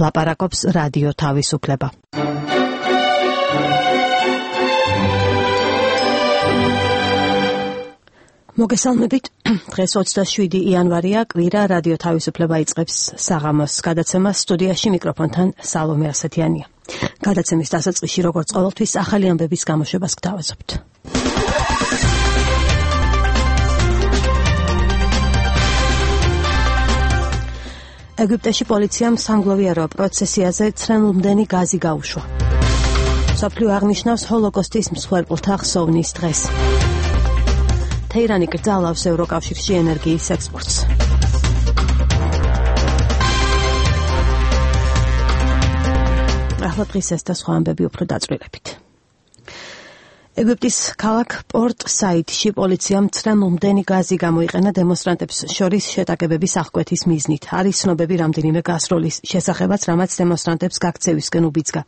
ლაპარაკობს რადიო თავისუფლება. მოგესალმებით, დღეს 27 იანვარია, კვირა, რადიო თავისუფლება იწყებს საღამოს გადაცემას, სტუდიაში მიკროფონთან სალომე ასათიანია. გადაცემის დასაწყისში, როგორც ყოველთვის, ახალი ამბების გამოშვებას გთავაზობთ. ეგვიპტეში პოლიციამ სამგლოვიარო პროცესიაზე ცრემლმდენი გაზი გაუშვა. მსოფლიო აღნიშნავს ჰოლოკოსტის მსხვერპლთა ხსოვნის დღეს. თეირანი კრძალავს ევროკავშირში ენერგიის ექსპორტს. ახლა დღის ეს და სხვა ამბები უფრო დაწვრილებით. ეგვიპტის ქალაქ პორტ-საიდში პოლიციამ ცრემლმდენი გაზი გამოიყენა დემონსტრანტებს შორის შეტაკებების აღკვეთის მიზნით. არის ცნობები რამდენიმე გასროლის შესახებაც, რამაც დემონსტრანტებს გაქცევისკენ უბიძგა.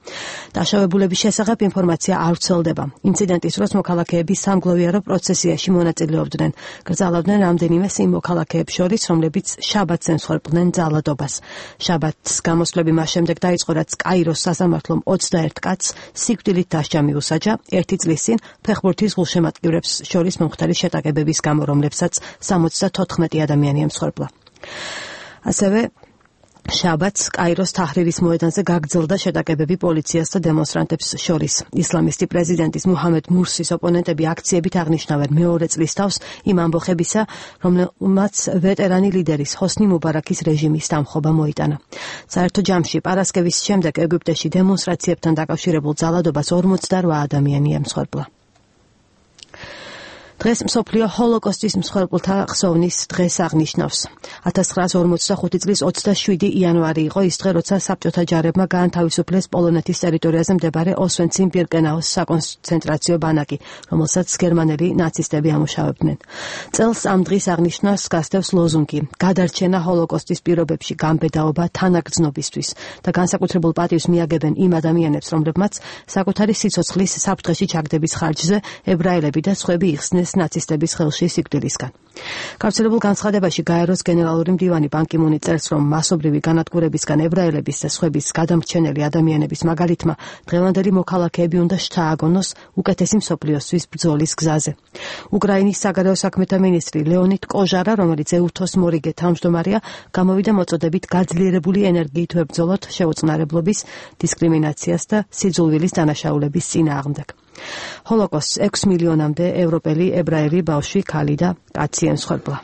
დაშავებულების შესახებ ინფორმაცია არ ვრცელდება. ინციდენტის დროს მოქალაქეები სამგლოვიარო პროცესიაში მონაწილეობდნენ. კრძალავდნენ რამდენიმე იმ მოქალაქეებს შორის, რომლებიც შაბათს ემსხვერპლდნენ ძალადობას. შაბათს გამოსვლები მას შემდეგ დაიწყო, რაც კაიროს სასამართლომ 21 კაცს სიკვდილით დასჯა მიუსაჯა, ერთი წლის წინ ფეხბურთის გულშემატკივრებს შორის მომხდარი შეტაკებების გამო, რომლებსაც 74 ადამიანი ემსხვერპლა. ასევე შაბათს კაიროს თაჰრირის მოედანზე გაგრძელდა შეტაკებები პოლიციას და დემონსტრანტებს შორის. ისლამისტი პრეზიდენტის მუჰამედ მურსის ოპონენტები აქციებით აღნიშნავენ მეორე წლის თავს იმ ამბოხებისა, რომელმაც ვეტერანი ლიდერის ჰოსნი მუბარაქის რეჟიმის დამხობა მოიტანა. საერთო ჯამში პარასკევის შემდეგ ეგვიპტეში დემონსტრაციებთან დაკავშირებულ ძალადობას 48 ადამიანი ემსხვერპლა. დღეს მსოფლიო ჰოლოკოსტის მსხვერპლთა ხსოვნის დღეს აღნიშნავს. 1945 წლის 27 იანვარი იყო ის დღე, როცა საბჭოთა ჯარებმა გაანთავისუფლეს პოლონეთის ტერიტორიაზე მდებარე ოსვენციმ-ბირკენაუს საკონცენტრაციო ბანაკი, რომელსაც გერმანელი ნაცისტები ამუშავებდნენ. წელს ამ დღის აღნიშვნას გასდევს ლოზუნგი „გადარჩენა ჰოლოკოსტის პირობებში, გამბედაობა თანაგრძნობისთვის“ და განსაკუთრებულ პატივს მიაგებენ იმ ადამიანებს, რომლებმაც საკუთარი სიცოცხლის საფრთხეში ჩაგდების ხარჯზე ებრაელები და სხვები იხსნენ ნაცისტების ხელში სიკვდილისგან. გავრცელებულ განცხადებაში გაეროს გენერალური მდივანი ბან კი მუნი წერს, რომ მასობრივი განადგურებისგან ებრაელების და სხვების გადამრჩენელი ადამიანების მაგალითმა დღევანდელი მოქალაქეები უნდა შთააგონოს უკეთესი მსოფლიოსთვის ბრძოლის გზაზე. უკრაინის საგარეო საქმეთა მინისტრი ლეონიდ კოჟარა, რომელიც ეუთოს მორიგე თავმჯდომარეა, გამოვიდა მოწოდებით გაძლიერებული ენერგიით ვებრძოლოთ შეუწყნარებლობის, დისკრიმინაციას და სიძულვილის დანაშაულების წინააღმდეგ. ჰოლოკოსტს 6 მილიონამდე ევროპელი, ებრაელი, ბავშვი, ქალი და კაცი ემსხვერპლა.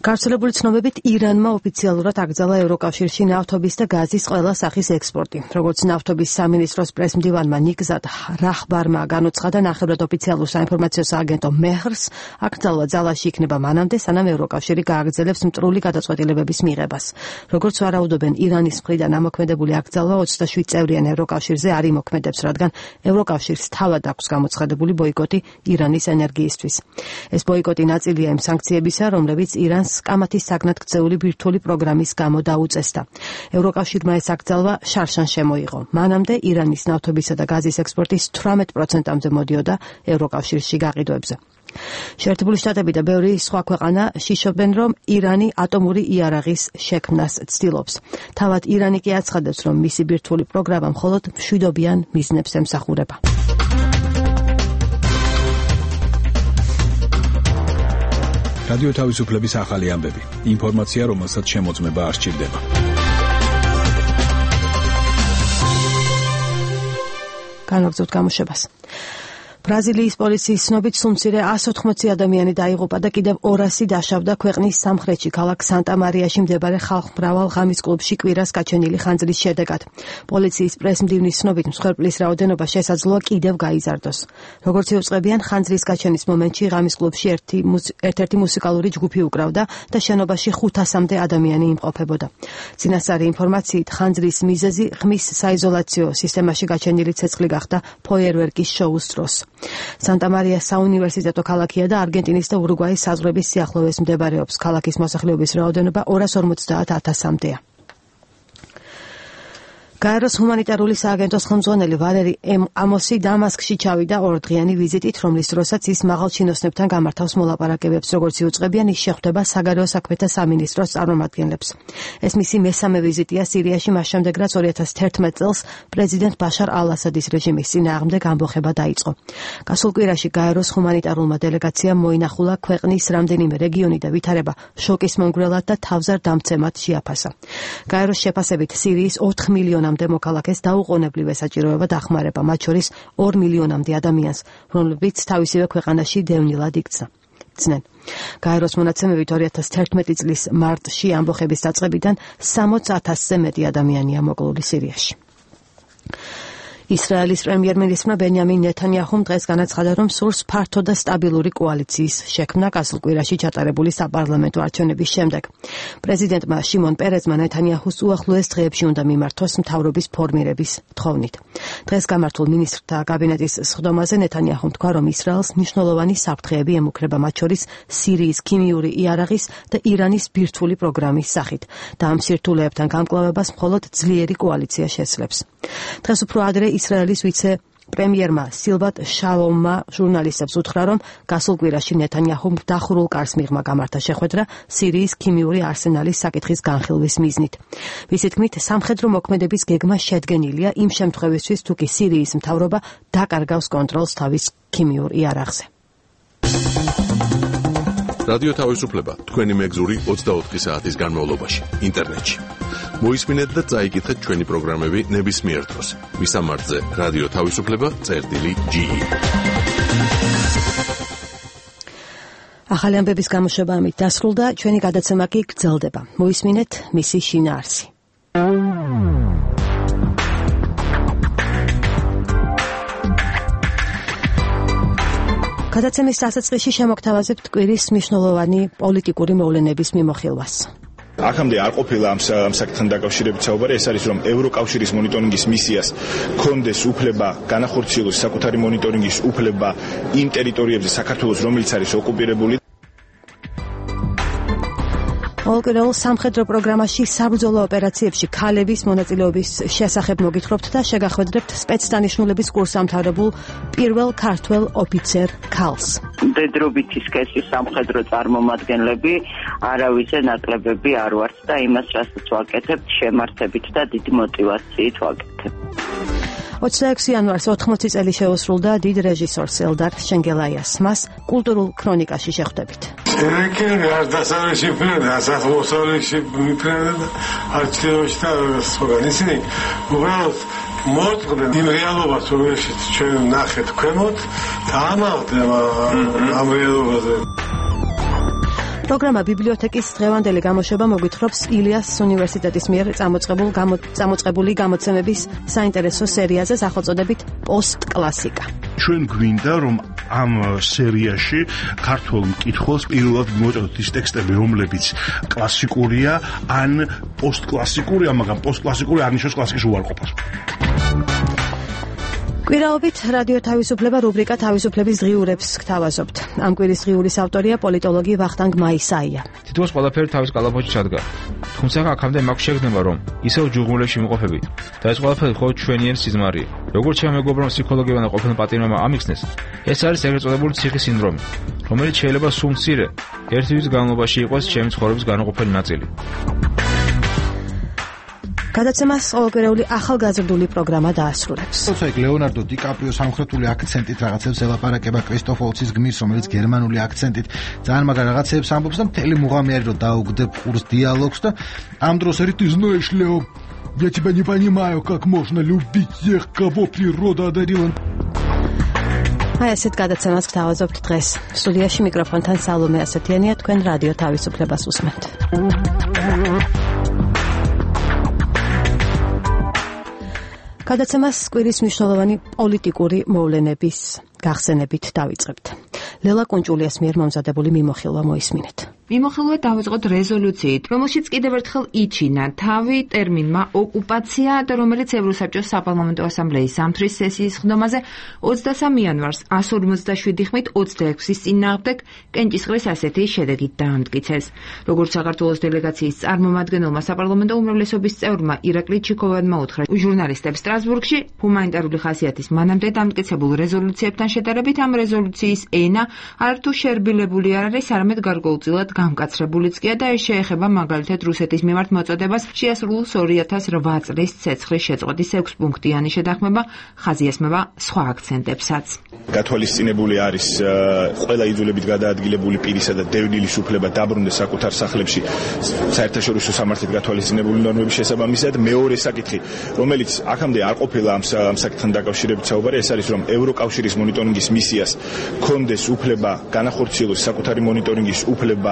გავრცელებული ცნობებით ირანმა ოფიციალურად აკრძალა ევროკავშირში ნავთობის და გაზის ყველა სახის ექსპორტი. როგორც ნავთობის სამინისტროს პრესმდივანმა ნიგზად რაჰბარმა განუცხადა, ნახევრად ოფიციალურ საინფორმაციო სააგენტო მეჰრს აკრძალვა ძალაში იქნება მანამდე, სანამ ევროკავშირი გააგრძელებს მტრული გადაწყვეტილებების მიღებას. როგორც ვარაუდობენ, ირანის მხრიდან ამოქმედებული აკრძალვა 27 წევრიან ევროკავშირზე არ იმოქმედებს, რადგან ევროკავშირს თავად აქვს გამოცხადებული ბოიკოტი ირანის ენერგიისთვის. ეს ბოიკოტი ნაწილია იმ სანქციებისა, რომლებიც ირანს კამათის საგნად ქცეული ბირთვული პროგრამის გამო დაუწესდა. ევროკავშირმა ეს აკრძალვა შარშან შემოიღო. მანამდე ირანის ნავთობისა და გაზის ექსპორტის 18%-ამდე მოდიოდა ევროკავშირში გაყიდვებზე. შეერთებული შტატები და ბევრი სხვა ქვეყანა შიშობენ, რომ ირანი ატომური იარაღის შექმნას ცდილობს. თავად ირანი კი აცხადებს, რომ მისი ბირთვული პროგრამა მხოლოდ მშვიდობიან მიზნებს ემსახურება. რადიო თავისუფლების ახალი ამბები. ინფორმაცია, რომელსაც შემოწმება არ სჭირდება. განაგრძობთ გამოშვებას. ბრაზილიის პოლიციის ცნობით სულ მცირე 180 ადამიანი დაიღუპა და კიდევ 200 დაშავდა ქვეყნის სამხრეთში, ქალაქ სანტა-მარიაში მდებარე ხალხმრავალ ღამის კლუბში კვირას გაჩენილი ხანძრის შედეგად. პოლიციის პრესმდივნის ცნობით მსხვერპლის რაოდენობა შესაძლოა კიდევ გაიზარდოს. როგორც იუწყებიან, ხანძრის გაჩენის მომენტში ღამის კლუბში ერთ-ერთი მუსიკალური ჯგუფი უკრავდა და შენობაში 500-მდე ადამიანი იმყოფებოდა. წინასწარი ინფორმაციით, ხანძრის მიზეზი ღმის საიზოლაციო სისტემაში გაჩენილი ცეცხლი გახდა ფოიერვერკის შოუს დროს. სანტა-მარია საუნივერსიტეტო ქალაქია და არგენტინის და ურუგვაის საზღვრების სიახლოვეს მდებარეობს. ქალაქის მოსახლეობის რაოდენობა 250,000-მდეა. გაეროს ჰუმანიტარული სააგენტოს ხელმძღვანელი ვალერი ამოსი დამასკში ჩავიდა 2 დღიანი ვიზიტით, რომლის დროსაც ის მაღალ ჩინოსნებთან გამართავს მოლაპარაკებებს, როგორც იუწყებიან, ის შეხვდება საგარეო საქმეთა სამინისტროს წარმომადგენლებს. ეს მისი მესამე ვიზიტია სირიაში, მას შემდეგ, რაც 2011 წელს პრეზიდენტ ბაშარ ალ-ასადის რეჟიმის წინააღმდეგ ამბოხება დაიწყო. გასულ კვირაში გაეროს ჰუმანიტარულმა დელეგაციამ მოინახულა ქვეყნის რამდენიმე რეგიონი და ვითარება შოკის მომგვრელად და თავზარ-დამცემად შეაფასა. გაეროს შეფასებით სირიის 4 მილიონამდე მოქალაქეს დაუყოვნებლივ ესაჭიროება დახმარება, მათ შორის 2 მილიონამდე ადამიანს, რომლებიც თავისივე ქვეყანაში დევნილად იქცნენ. გაეროს მონაცემებით 2011 წლის მარტში ამბოხების დაწყებიდან 60,000-ზე მეტი ადამიანია მოკლული სირიაში. ისრაელის პრემიერ-მინისტრმა ბენიამინ ნეთანიაჰუმ დღეს განაცხადა, რომ სურს ფართო და სტაბილური კოალიციის შექმნა გასულ კვირაში ჩატარებული საპარლამენტო არჩევნების შემდეგ. პრეზიდენტმა შიმონ პერეზმა ნეთანიაჰუს უახლოეს დღეებში უნდა მიმართოს მთავრობის ფორმირების თხოვნით. დღეს გამართულ მინისტრთა კაბინეტის სხდომაზე ნეთანიაჰუმ თქვა, რომ ისრაელს მნიშვნელოვანი საფრთხეები ემუქრება, მათ შორის სირიის ქიმიური იარაღის და ირანის ბირთვული პროგრამის სახით და ამ სირთულეებთან გამკლავებას მხოლოდ ძლიერი კოალიცია შესძლებს. დღეს უფრო ადრე ისრაელის ვიცე-პრემიერმა სილბათ შალომმა ჟურნალისტებს უთხრა, რომ გასულ კვირაში ნეთანიაჰუმ დახურულ კარს მიღმა გამართა შეხვედრა სირიის ქიმიური არსენალის საკითხის განხილვის მიზნით. მისი თქმით, სამხედრო მოქმედების გეგმა შედგენილია იმ შემთხვევისთვის, თუ კი სირიის მთავრობა დაკარგავს კონტროლს თავის ქიმიურ იარაღზე. რადიო თავისუფლება თქვენი მეგზური 24 საათის განმავლობაში ინტერნეტში. მოისმინეთ და წაიკითხეთ ჩვენი პროგრამები ნებისმიერ დროს. მისამართზე რადიო თავისუფლება.ge. ახალი ამბების გამოშვება ამით დასრულდა, ჩვენი გადაცემა კი გრძელდება. მოისმინეთ მისი შინაარსი. გადაცემის დასაწყისში შემოგთავაზებთ კვირის მნიშვნელოვანი პოლიტიკური მოვლენების მიმოხილვას. აქამდე არ ყოფილა ამ საკითხთან დაკავშირებით საუბარი, ეს არის, რომ ევროკავშირის მონიტორინგის მისიას კონდეს უფლება განახორციელოს საკუთარი მონიტორინგის უფლება იმ ტერიტორიებზე საქართველოს, რომელიც არის ოკუპირებული. ოლკერელ სამხედრო პროგრამაში საბრძოლო ოპერაციებში ქალების მონაწილეობის შესახებ მოგითხრობთ და შეგახვედრებთ სპეცდანიშნულების კურსამთავრებულ პირველ ქართველ ოფიცერ ქალს. მდედრობითი სქესის სამხედრო წარმომადგენლები არავისზე ნაკლებები არ ვართ და იმას, რასაც ვაკეთებთ, შემართებით და დიდი მოტივაციით ვაკეთებ. 26 იანვარს 80 წელი შეუსრულდა დიდ რეჟისორს ელდარ შენგელაიას. მას კულტურულ ქრონიკაში შეხვდებით. Serikleri ardasanışı falan, asaklosanışı falan, artçılaşta soğanısını, uğraşt, mortqden imrealova soğuşit, çön naxet kremot, tamamdı am realovაზე. პროგრამა ბიბლიოთეკის დღევანდელი გამოშვება მოგვითხრობს ილიას უნივერსიტეტის მიერ წამოწყებული გამოცემების საინტერესო სერიაზე სახელწოდებით პოსტ-კლასიკა. ჩვენ გვინდა რომ ამ სერიაში ქართულ მკითხველს პირველად მოუწოდოთ ის ტექსტები, რომლებიც კლასიკურია, ან პოსტ-კლასიკურია, მაგრამ პოსტ-კლასიკური არ ნიშნავს კლასიკის უარყოფას. კვირაობით რადიო თავისუფლება რუბრიკა თავისუფლების ღიურებს გთავაზობთ. ამ კვირის ღიურის ავტორია პოლიტოლოგი ვახტანგ მაისაია. თითოეულ ყველაფერი თავის კალაპოჩში ჩადგა. თუმცა აქამდე მაქვს შეგრძნება, რომ ისევ ჯუღმულებში იმყოფებით და ეს ყველაფერი მხოლოდ ჩვენიერი სიზმარია. როგორც ჩემ მეგობრმა ფსიქოლოგებმა ყოფილ პატიმრებმა ამიხსნეს, ეს არის ეგრეთ წოდებული ციხის სინდრომი, რომელიც შეიძლება სულ მცირე ერთი თვის განმავლობაში იყოს ჩემი ცხოვრების განუყოფელი ნაწილი. გადაცემას ყოველკვირეული ახალგაზრდული პროგრამა დაასრულებს. თუმცა ლეონარდო დიკაპრიო სამხრეთული აქცენტით რაღაცებს ელაპარაკება კრისტოფ ვოლცის გმირს, რომელიც გერმანული აქცენტით ძალიან მაგარ რაღაცებს ამბობს და მთელი მუღამი არის რომ დაუგდებ ყურს დიალოგს და ამ დროს ერთი знаешь, Лео, я тебя не понимаю, как можно любить тех, кого природа одарила. აი ასეთ გადაცემას გთავაზობთ დღეს. სტუდიაში მიკროფონთან სალომე ასათიანია, თქვენ რადიო თავისუფლებას უსმენთ. გადაცემას კვირის მნიშვნელოვანი პოლიტიკური მოვლენების გახსენებით დავიწყებთ. ლელა კუნჭულიას მიერ მომზადებული მიმოხილვა მოისმინეთ. მიმოხილვად დავიწყოთ რეზოლუციით, რომელშიც კიდევ ერთხელ იჩინა თავი ტერმინმა ოკუპაცია და რომელიც ევროსაბჭოს საპარლამენტო ასამბლეის ზამთრის სესიის ხდომაზე 23 იანვარს 157 ხმით 26-ის წინააღმდეგ კენჭისყრის ასეთი შედეგით დაამტკიცეს. როგორც საქართველოს დელეგაციის წარმომადგენელმა საპარლამენტო უმრავლესობის წევრმა ირაკლი ჩიქოვანმა უთხრა ჟურნალისტებს სტრასბურგში, ჰუმანიტარული ხასიათის მანამდე დამტკიცებულ რეზოლუციებთან შედარებით ამ რეზოლუციის ენა არც შერბილებული არ არის, არამედ გარკვეულწილად გამკაცრებულიც კი და ეს შეეხება მაგალითად რუსეთის მიმართ მოწოდებას შეასრულოს 2008 წლის ცეცხლის შეწყვეტის 6 პუნქტიანი შეთანხმება, ხაზიასმება სხვა აქცენტებსაც. გათვალისწინებული არის ყველა იძულებით გადაადგილებული პირისა და დევნილის უფლება დაბრუნდეს საკუთარ სახლებში საერთაშორისო სამართლით გათვალისწინებული ნორმების შესაბამისად. მეორე საკითხი, რომელიც აქამდე არ ყოფილა ამ საკითხთან დაკავშირებით საუბარი, ეს არის რომ ევროკავშირის მონიტორინგის მისიას კონდეს უფლება განახორციელოს საკუთარი მონიტორინგის უფლება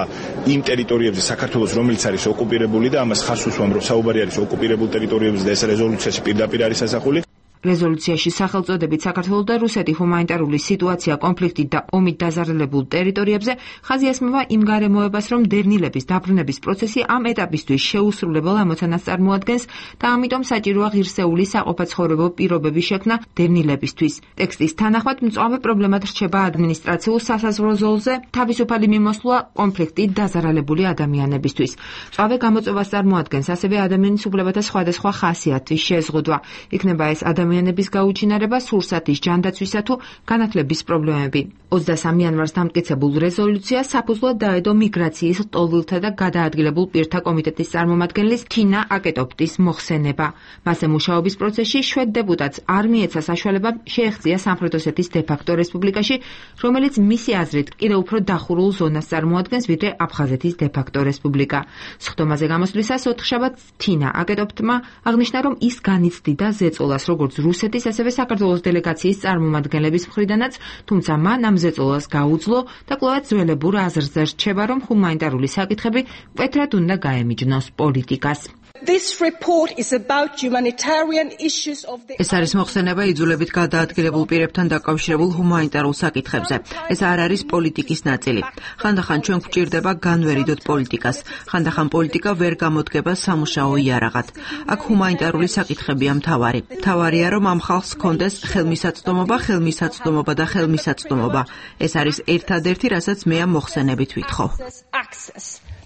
იმ ტერიტორიებზე საქართველოს, რომელიც არის ოკუპირებული და ამას ხაზს უსვამ, რომ საუბარი არის ოკუპირებულ ტერიტორიებზე და ეს რეზოლუციაში პირდაპირ არის ასახული. რეზოლუციაში სახელწოდებით საქართველოს და რუსეთის ჰუმანიტარული სიტუაცია კონფლიქტით და ომით დაზარალებულ ტერიტორიებზე ხაზიასმება იმ გარემოებას, რომ დევნილების დაბრუნების პროცესი ამ ეტაპისთვის შეუსრულებელ ამოცანას წარმოადგენს და ამიტომ საჭიროა ღირსეული საყოფაცხოვრებო პირობების შექმნა დევნილებისთვის. ტექსტის თანახმად მწვავე პრობლემად რჩება ადმინისტრაციულ სასაზღვრო ზოლზე თავისუფალი მიმოსვლა კონფლიქტით დაზარალებული ადამიანებისთვის. მწვავე გამოწვევას წარმოადგენს ასევე ადამიანის უფლებათა სხვადასხვა ხასიათის შეზღუდვა. იქნება ეს ადამიანების გაუჩინარება, სურსათის ჯანდაცვისა თუ განათლების პრობლემები. 23 იანვარს დამტკიცებულ რეზოლუციას საფუძვლად დაედო მიგრაციის ლტოლვილთა და გადაადგილებულ პირთა კომიტეტის წარმომადგენლის თინა აკეტოპტის მოხსენება. მასზე მუშაობის პროცესში შვედ დეპუტატს არ მიეცა საშუალება შეეღწია სამხრეთ ოსეთის დე-ფაქტო რესპუბლიკაში, რომელიც მისი აზრით კიდევ უფრო დახურულ ზონას წარმოადგენს, ვიდრე აფხაზეთის დე-ფაქტო რესპუბლიკა. სხდომაზე გამოსვლისას ოთხშაბათს თინა აკეტოპტმა აღნიშნა, რომ ის განიცდიდა ზეწოლას როგორც რუსეთის, ასევე საქართველოს დელეგაციის წარმომადგენლების მხრიდანაც, თუმცა მან ამ ზეწოლას გაუძლო და კვლავაც ძველებურ აზრზე რჩება, რომ ჰუმანიტარული საკითხები მკვეთრად უნდა გაემიჯნოს პოლიტიკას. ეს არის მოხსენება იძულებით გადაადგილებულ პირებთან დაკავშირებულ ჰუმანიტარულ საკითხებზე. ეს არ არის პოლიტიკის ნაწილი. ხანდახან ჩვენ გვჭირდება განვერიდოთ პოლიტიკას. ხანდახან პოლიტიკა ვერ გამოდგება სამუშაო იარაღად. აქ ჰუმანიტარული საკითხებია მთავარი. მთავარია, რომ ამ ხალხს ჰქონდეს ხელმისაწვდომობა და ხელმისაწვდომობა. ეს არის ერთადერთი, რასაც მე ამ მოხსენებით ვითხოვ.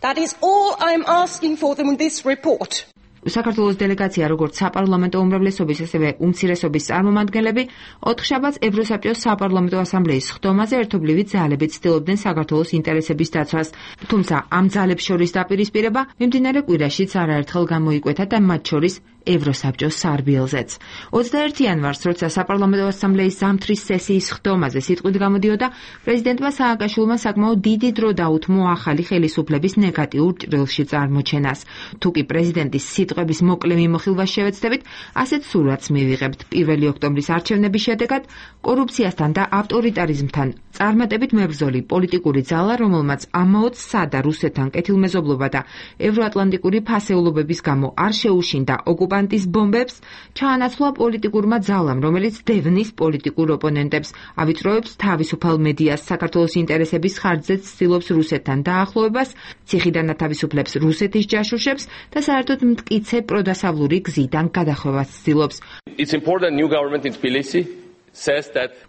That is all I'm asking for them in this report. საქართველოს დელეგაცია, როგორც საპარლამენტო უმრავლესობის, ასევე უმცირესობის წარმომადგენლები, ოთხშაბათს ევროსაბჭოს საპარლამენტო ასამბლეის ხდომაზე ერთობლივი ძალებით ცდილობდნენ საქართველოს ინტერესების დაცვას. თუმცა ამ ძალებს შორის დაპირისპირება მიმდინარე კვირაშიც არაერთხელ გამოიკვეთა და მათ შორის ევროსაბჭოს სარბიელზეც. 21 იანვარს, როცა საპარლამენტო ასამბლეის ზამთრის სესიის ხდომაზე სიტყვით გამოდიოდა, პრეზიდენტმა სააკაშვილმა საკმაოდ დიდი დრო დაუთმო ახალი ხელისუფლების ნეგატიურ ჭრილში წარმოჩენას. თუკი პრეზიდენტის სიტყვების მოკლე მიმოხილვას შევეცდებით, ასეთ სურათს მივიღებთ. 1 ოქტომბრის არჩევნების შედეგად კორუფციასთან და ავტორიტარიზმთან წარმატებით მებრძოლი პოლიტიკური ძალა, რომელმაც ამაოდ სადა რუსეთთან კეთილმეზობლობა და ევროატლანტიკური ფასეულობების გამო არ შეუშინდა ოკუპანტის ბომბებს, ჩაანაცვლა პოლიტიკურმა ძალამ, რომელიც დევნის პოლიტიკურ ოპონენტებს, ავიწროებს თავისუფალ მედიას, საქართველოს ინტერესების ხარჯზე ცდილობს რუსეთთან დაახლოებას, ციხიდან ათავისუფლებს რუსეთის ჯაშუშებს და საერთოდ მტკიცე პროდასავლური გზიდან გადახვევას ცდილობს. It's important new government in Tbilisi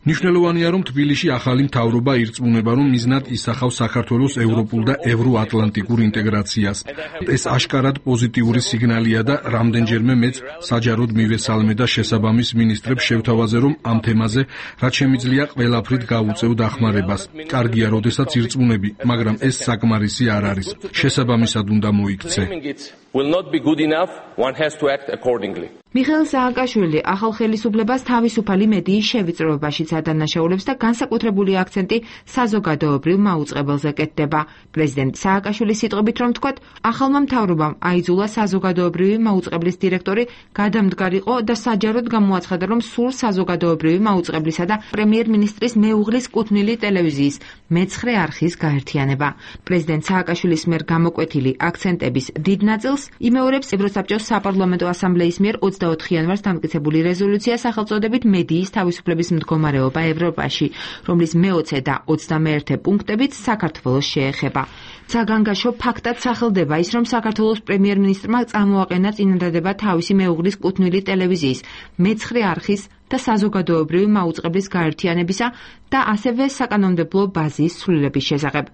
მნიშვნელოვანია, რომ თბილისში ახალი მთავრობა ირწმუნება, რომ მიზნად ისახავს საქართველოს ევროპულ და ევროატლანტიკურ ინტეგრაციას. ეს აშკარად პოზიტიური სიგნალია და რამდენჯერმე მეც საჯაროდ მივესალმე და შესაბამის მინისტრებს შევთავაზე, რომ ამ თემაზე რაც შემიძლია ყველაფრით გავუწევ დახმარებას. კარგია, როდესაც ირწმუნები, მაგრამ ეს საკმარისი არ არის. შესაბამისად უნდა მოიქცე. will not be good enough, one has to act accordingly. მიხეილ სააკაშვილი ახალ ხელისუფლებას თავისუფალი მედიის შევიწროებაშიც ადანაშაულებს და განსაკუთრებული აქცენტი საზოგადოებრივ მაუწყებელზე კეთდება. პრეზიდენტ სააკაშვილის სიტყვებით რომ ვთქვათ, ახალმა მთავრობამ აიძულა საზოგადოებრივი მაუწყებლის დირექტორი გადამდგარიყო და საჯაროდ გამოაცხადა, რომ სულ საზოგადოებრივი მაუწყებლისა და პრემიერ-მინისტრის მეუღლის კუთვნილი ტელევიზიის მე-9 არხის გაერთიანება. პრეზიდენტ სააკაშვილის მიერ გამოკვეთილი აქცენტების დიდ ნაწილს იმეორებს ევროსაბჭოს საპარლამენტო ასამბლეის მიერ 24 იანვარს დამტკიცებული რეზოლუცია სახელწოდებით მედიის თავისუფლების მდგომარეობა ევროპაში, რომლის მე-20 და 21 პუნქტებიც საქართველოს შეეხება. საგანგაშო ფაქტად სახელდება ის, რომ საქართველოს პრემიერ-მინისტრმა წამოაყენა წინადადება თავისი მეუღლის კუთვნილი ტელევიზიის, მე-9 არხის და საზოგადოებრივი მაუწყებლის გაერთიანებისა და ასევე საკანონმდებლო ბაზის ცვლილების შესახებ.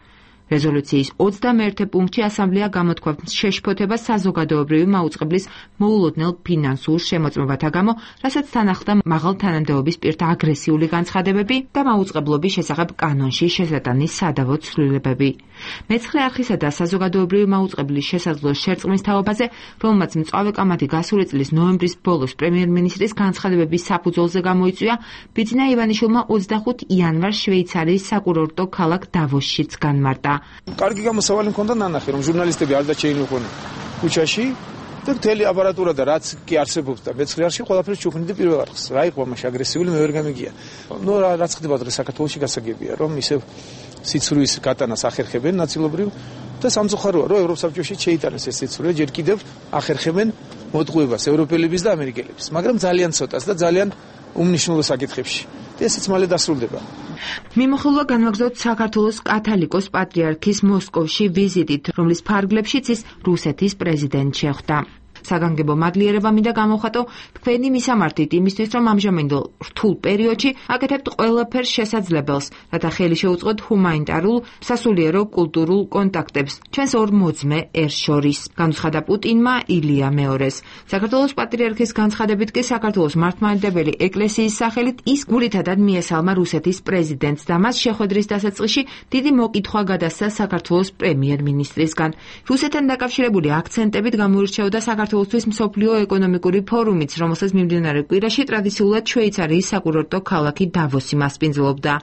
რეზოლუციის 21 პუნქტში ასამბლეა გამოთქვამს შეშფოთებას საზოგადოებრივი მაუწყებლის მოულოდნელ ფინანსურ შემოწმებათა გამო, რასაც თან ახლდა მაღალ თანამდებობის პირთა აგრესიული განცხადებები და მაუწყებლობის შესახებ კანონში შესატანის სადავო ცვლილებები. მე-9 არხისა და საზოგადოებრივი მაუწყებლის შესაძლო შერწყმის თაობაზე, რომელმაც მწვავე კამათი გასული წლის ნოემბრის ბოლოს პრემიერ-მინისტრის განცხადებების საფუძველზე გამოიწვია, ბიძინა ივანიშვილმა 25 იანვარს შვეიცარიის საკურორტო ქალაქ დავოსშიც განმარტა. კარგი გამოსავალი მქონდა ნანახი, რომ ჟურნალისტები არ დაჩეინიყვნენ ქუჩაში და მთელი აპარატურა და რაც კი არსებობს და მე-9 არხში ყველაფერს ჩუქნიდი პირველ არხს. რა იყო მაშინ აგრესიული მე ვერ გამიგია. რაც ხდება დღეს საქართველოში გასაგებია, რომ ისევ სიცრუის გატანას ახერხებენ ნაწილობრივ და სამწუხაროა, რომ ევროპსაბჭოში შეიტანეს ეს სიცრუე, ჯერ კიდევ ახერხებენ მოტყუებას ევროპელების და ამერიკელების, მაგრამ ძალიან ცოტას და ძალიან უმნიშვნელო საკითხებში. და ესეც მალე დასრულდება. მიმოხილვა განვაგრძოთ საქართველოს კათოლიკოს პატრიარქის მოსკოვში ვიზიტით, რომლის ფარგლებშიც ის რუსეთის პრეზიდენტს შეხვდა. საგანგებო მადლიერება მინდა გამოვხატო თქვენი მისამართით იმისთვის, რომ ამჟამინდელ რთულ პერიოდში აკეთებთ ყველაფერს შესაძლებელს, რათა ხელი შეუწყოთ ჰუმანიტარულ, სასულიერო კულტურულ კონტაქტებს ჩვენს ორ მოძმე ერს შორის, განუცხადა პუტინმა ილია მეორეს. საქართველოს პატრიარქის განცხადებით კი საქართველოს მართლმადიდებელი ეკლესიის სახელით ის გულითადად მიესალმა რუსეთის პრეზიდენტს და მას შეხვედრის დასაწყისში დიდი მოკითხვა გადასცა საქართველოს პრემიერ-მინისტრისგან. რუსეთთან დაკავშირებული აქცენტებით გამოირჩეოდა საქართველოსთვის მსოფლიო ეკონომიკური ფორუმიც, რომელსაც მიმდინარე კვირაში ტრადიციულად შვეიცარიის საკურორტო ქალაქი დავოსი მასპინძლობდა.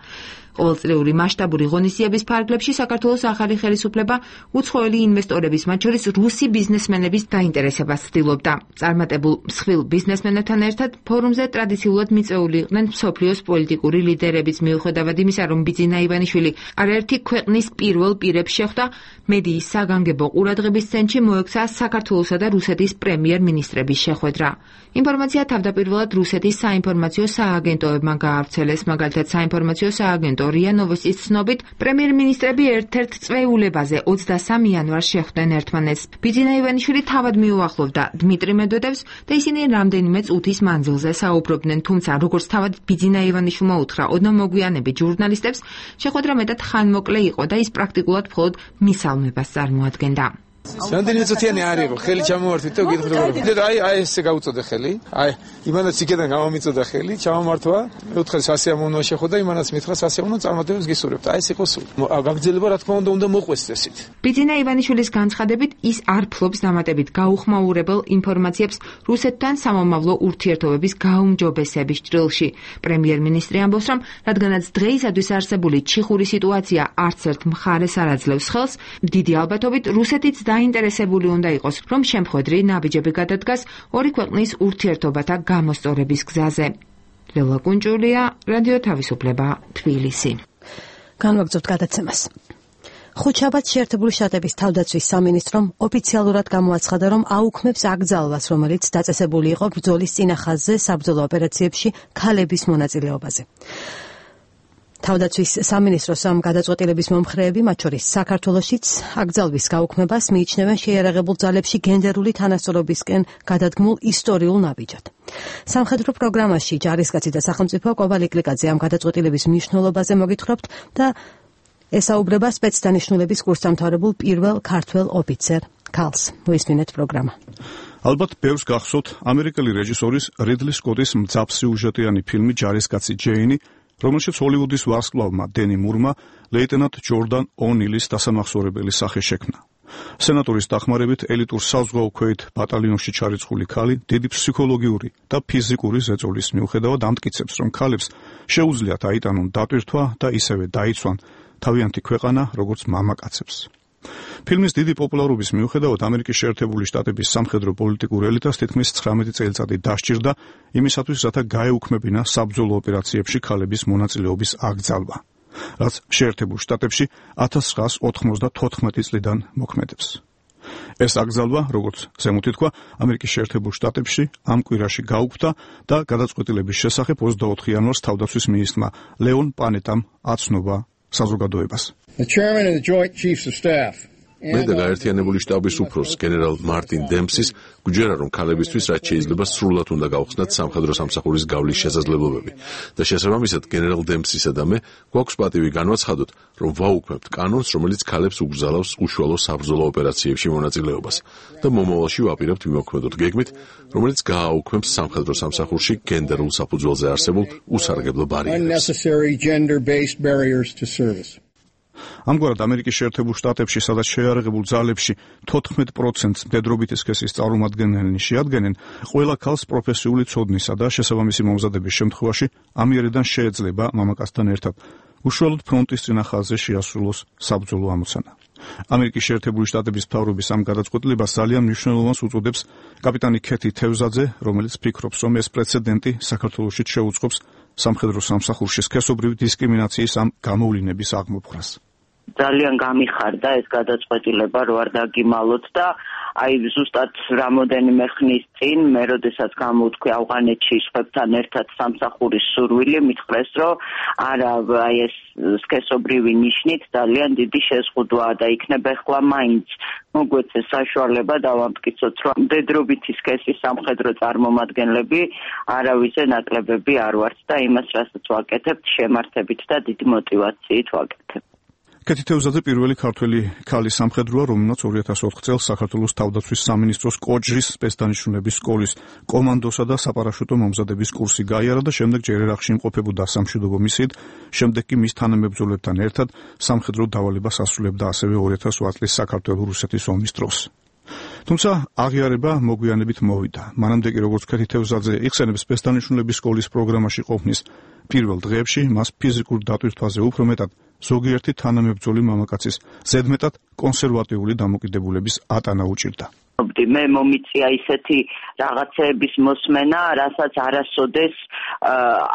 ყოველწლიური მასშტაბური ღონისძიების ფარგლებში საქართველოს ახალი ხელისუფლება უცხოელი ინვესტორების, მათ შორის რუსი ბიზნესმენების დაინტერესებას ცდილობდა. წარმატებულ მსხვილ ბიზნესმენებთან ერთად ფორუმზე ტრადიციულად მიწვეული იყვნენ მსოფლიოს პოლიტიკური ლიდერებიც, მიუხედავად იმისა, რომ ბიძინა ივანიშვილი არაერთი ქვეყნის პირველ პირებს შეხვდა, მედიის საგანგებო ყურადღების ცენტრში მოექცა საქართველოსა და რუსეთის პრემიერ-მინისტრების შეხვედრა. ინფორმაცია თავდაპირველად რუსეთის საინფორმაციო სააგენტოებმა გაავრცელეს, მაგალითად საინფორმაციო სააგენტო რია ნოვოსტის ცნობით, პრემიერ-მინისტრები ერთ-ერთ წვეულებაზე 23 იანვარს შეხვდნენ ერთმანეთს. ბიძინა ივანიშვილი თავად მიუახლოვდა დმიტრი მედვედევს და ისინი რამდენიმე წუთის მანძილზე საუბრობდნენ, თუმცა როგორც თავად ბიძინა ივანიშვილმა უთხრა ოდნავ მოგვიანებით ჟურნალისტებს, შეხვედრა მეტად ხანმოკლე იყო და ის პრაქტიკულად მხოლოდ მისალმებას წარმოადგენდა. რამდენიმე წუთიანი არ იყო, ხელი ჩამოვართვით და გითხრობ. აი ესე გაუწოდე ხელი. აი იმანაც იქიდან გამომიწოდა ხელი, ჩამომართვა. მე ვთქვა სასიამოვნოა შეხვდა, იმანაც მითხრა სასიამოვნო წარმატებებს გისურვებთ. აი ეს იყო სულ. გაგრძელება რა თქმა უნდა მოყვეს წესით. ბიძინა ივანიშვილის განცხადებით ის არ ფლობს დამატებით გაუხმაურებელ ინფორმაციებს რუსეთთან სამომავლო ურთიერთობების გაუმჯობესების ჭრილში. პრემიერ-მინისტრი ამბობს, რომ რადგანაც დღეისათვის არსებული ჩიხური სიტუაცია არც ერთ მხარეს არ აძლევს ხელს, დიდი ალბათობით რუსეთიც დაინტერესებული უნდა იყოს, რომ შემხედრი ნაბიჯები გადადგას ორი ქვეყნის ურთიერთობათა გამოსწორების გზაზე. ლელა კუნჭულია, რადიო თავისუფლება, თბილისი. განვაგრძობთ გადაცემას. ხუთშაბათს შეერთებული შტატების თავდაცვის სამინისტრომ ოფიციალურად გამოაცხადა, რომ აუქმებს აკრძალვას, რომელიც დაწესებული იყო ბრძოლის წინახაზზე საბრძოლო ოპერაციებში ქალების მონაწილეობაზე. თავდაცვის სამინისტროს ამ გადაწყვეტილების მომხრეები, მათ შორის საქართველოშიც აკრძალვის გაუქმებას მიიჩნევენ შეიარაღებულ ძალებში გენდერული თანასწორობისკენ გადადგმულ ისტორიულ ნაბიჯად. სამხედრო პროგრამაში ჯარისკაცი და სახელმწიფო კვაბა ლიკლიკაძე ამ გადაწყვეტილების მნიშვნელობაზე მოგითხრობთ და ესაუბრება სპეცდანიშნულების კურსდამთავრებულ პირველ ქართველ ოფიცერ ქალს. მოისმინეთ პროგრამა. ალბათ ბევრს გახსოვთ ამერიკელი რეჟისორის რიდლი სკოტის მძაფსიუჟეტიანი ფილმი ჯარისკაცი ჯეინი, რომელშიც ჰოლივუდის ვარსკვლავმა დენი მურმა ლეიტენანტ ჯორდან ო'ნილის დასამახსოვრებელი სახე შექმნა. სენატორის დახმარებით ელიტურ საზღვაო ქვეით ბატალიონში ჩარიცხული ქალი დიდი ფსიქოლოგიური და ფიზიკური ზეწოლის მიუხედავად ამტკიცებს, რომ ქალებს შეუძლიათ აიტანონ დატვირთვა და ისევე დაიცვან თავიანთი ქვეყანა, როგორც მამაკაცებს. ფილმის დიდი პოპულარობის მიუხედავად ამერიკის შეერთებული შტატების სამხედრო პოლიტიკურ ელიტას თითქმის 19 წელიწადი დასჭირდა იმისათვის, რათა გაეუქმებინა საბრძოლო ოპერაციებში ქალების მონაწილეობის აკრძალვა, რაც შეერთებულ შტატებში 1994 წლიდან მოქმედებს. ეს აკრძალვა, როგორც ზემოთ ითქვა, ამერიკის შეერთებულ შტატებში ამ კვირაში გაუქმდა და გადაწყვეტილების შესახებ 24 იანვარს თავდაცვის მინისტრმა ლეონ პანეტამ აცნობა საზოგადოებას. მე და გაერთიანებული შტაბის უფროს გენერალ მარტინ დემპსის გვჯერა, რომ ქალებისთვის რაც შეიძლება სრულად უნდა გავხსნათ სამხედრო სამსახურის გავლის შესაძლებლობები და შესაბამისად გენერალ დემპსისა და მე გვაქვს პატივი განვაცხადოთ, რომ ვაუქმებთ კანონს, რომელიც ქალებს უგზალავს უშუალო საბრძოლო ოპერაციებში მონაწილეობას და მომავალში ვაპირებთ მიმოქმედოთ გეგმით, რომელიც გააუქმებს სამხედრო სამსახურში გენდერულ საფუძველზე არსებულ უსარგებლო ბარიერებს. ამგვარად ამერიკის შეერთებულ შტატებში, სადაც შეიარაღებულ ძალებში 14%-ს მდედრობითი სქესის წარმომადგენლები შეადგენენ, ყველა ქალს პროფესიული ცოდნისა და შესაბამისი მომზადების შემთხვევაში ამიერიდან შეეძლება მამაკაცთან ერთად უშუალოდ ფრონტის წინა ხაზზე შეასრულოს საბრძოლო ამოცანა. ამერიკის შეერთებული შტატების მთავრობის ამ გადაწყვეტილებას ძალიან მნიშვნელოვანს უწოდებს კაპიტანი ქეთი თევზაძე, რომელიც ფიქრობს, რომ ეს პრეცედენტი საქართველოშიც შეუწყობს სამხედრო სამსახურში სქესობრივი დისკრიმინაციის ამ გამოვლინების აღმოფხვრას. ძალიან გამიხარდა ეს გადაწყვეტილება, რო არ დაგიმალოთ და აი ზუსტად რამოდენიმე ხნის წინ მე როდესაც გამოვთქვი ავღანეთში სხვებთან ერთად სამსახურის სურვილი, მითხრეს, რომ არა, აი ეს სქესობრივი ნიშნით ძალიან დიდი შეზღუდვაა და იქნება ახლა მაინც მოგვეცეს საშუალება დავამტკიცოთ, რომ მდედრობითი სქესის სამხედრო წარმომადგენლები არავისზე ნაკლებები არ ვართ და იმას, რასაც ვაკეთებთ, შემართებით და დიდი мотивაციით ვაკეთებთ. ქეთი თევზაძე პირველი ქართველი ქალი სამხედროა, რომელმაც 2004 წელს საქართველოს თავდაცვის სამინისტროს კოჯრის სპეცდანიშნულების სკოლის კომანდოსა და საპარაშუტო მომზადების კურსი გაიარა და შემდეგ ჯერ ერაყში იმყოფებოდა სამშვიდობო მისიით, შემდეგ კი მის თანამებრძოლებთან ერთად სამხედრო დავალებას ასრულებდა ასევე 2008 წლის საქართველო-რუსეთის ომის დროს. თუმცა აღიარება მოგვიანებით მოვიდა. მანამდე კი როგორც ქეთი თევზაძე იხსენებს სპეცდანიშნულების სკოლის პროგრამაში ყოფნის პირველ დღეებში მას ფიზიკურ დატვირთვაზე უფრო მეტად ზოგიერთი თანამებრძოლი მამაკაცის ზედმეტად კონსერვატიული დამოკიდებულების ატანა უჭირდა. მე მომიწია ისეთი რაღაცეების მოსმენა, რასაც არასოდეს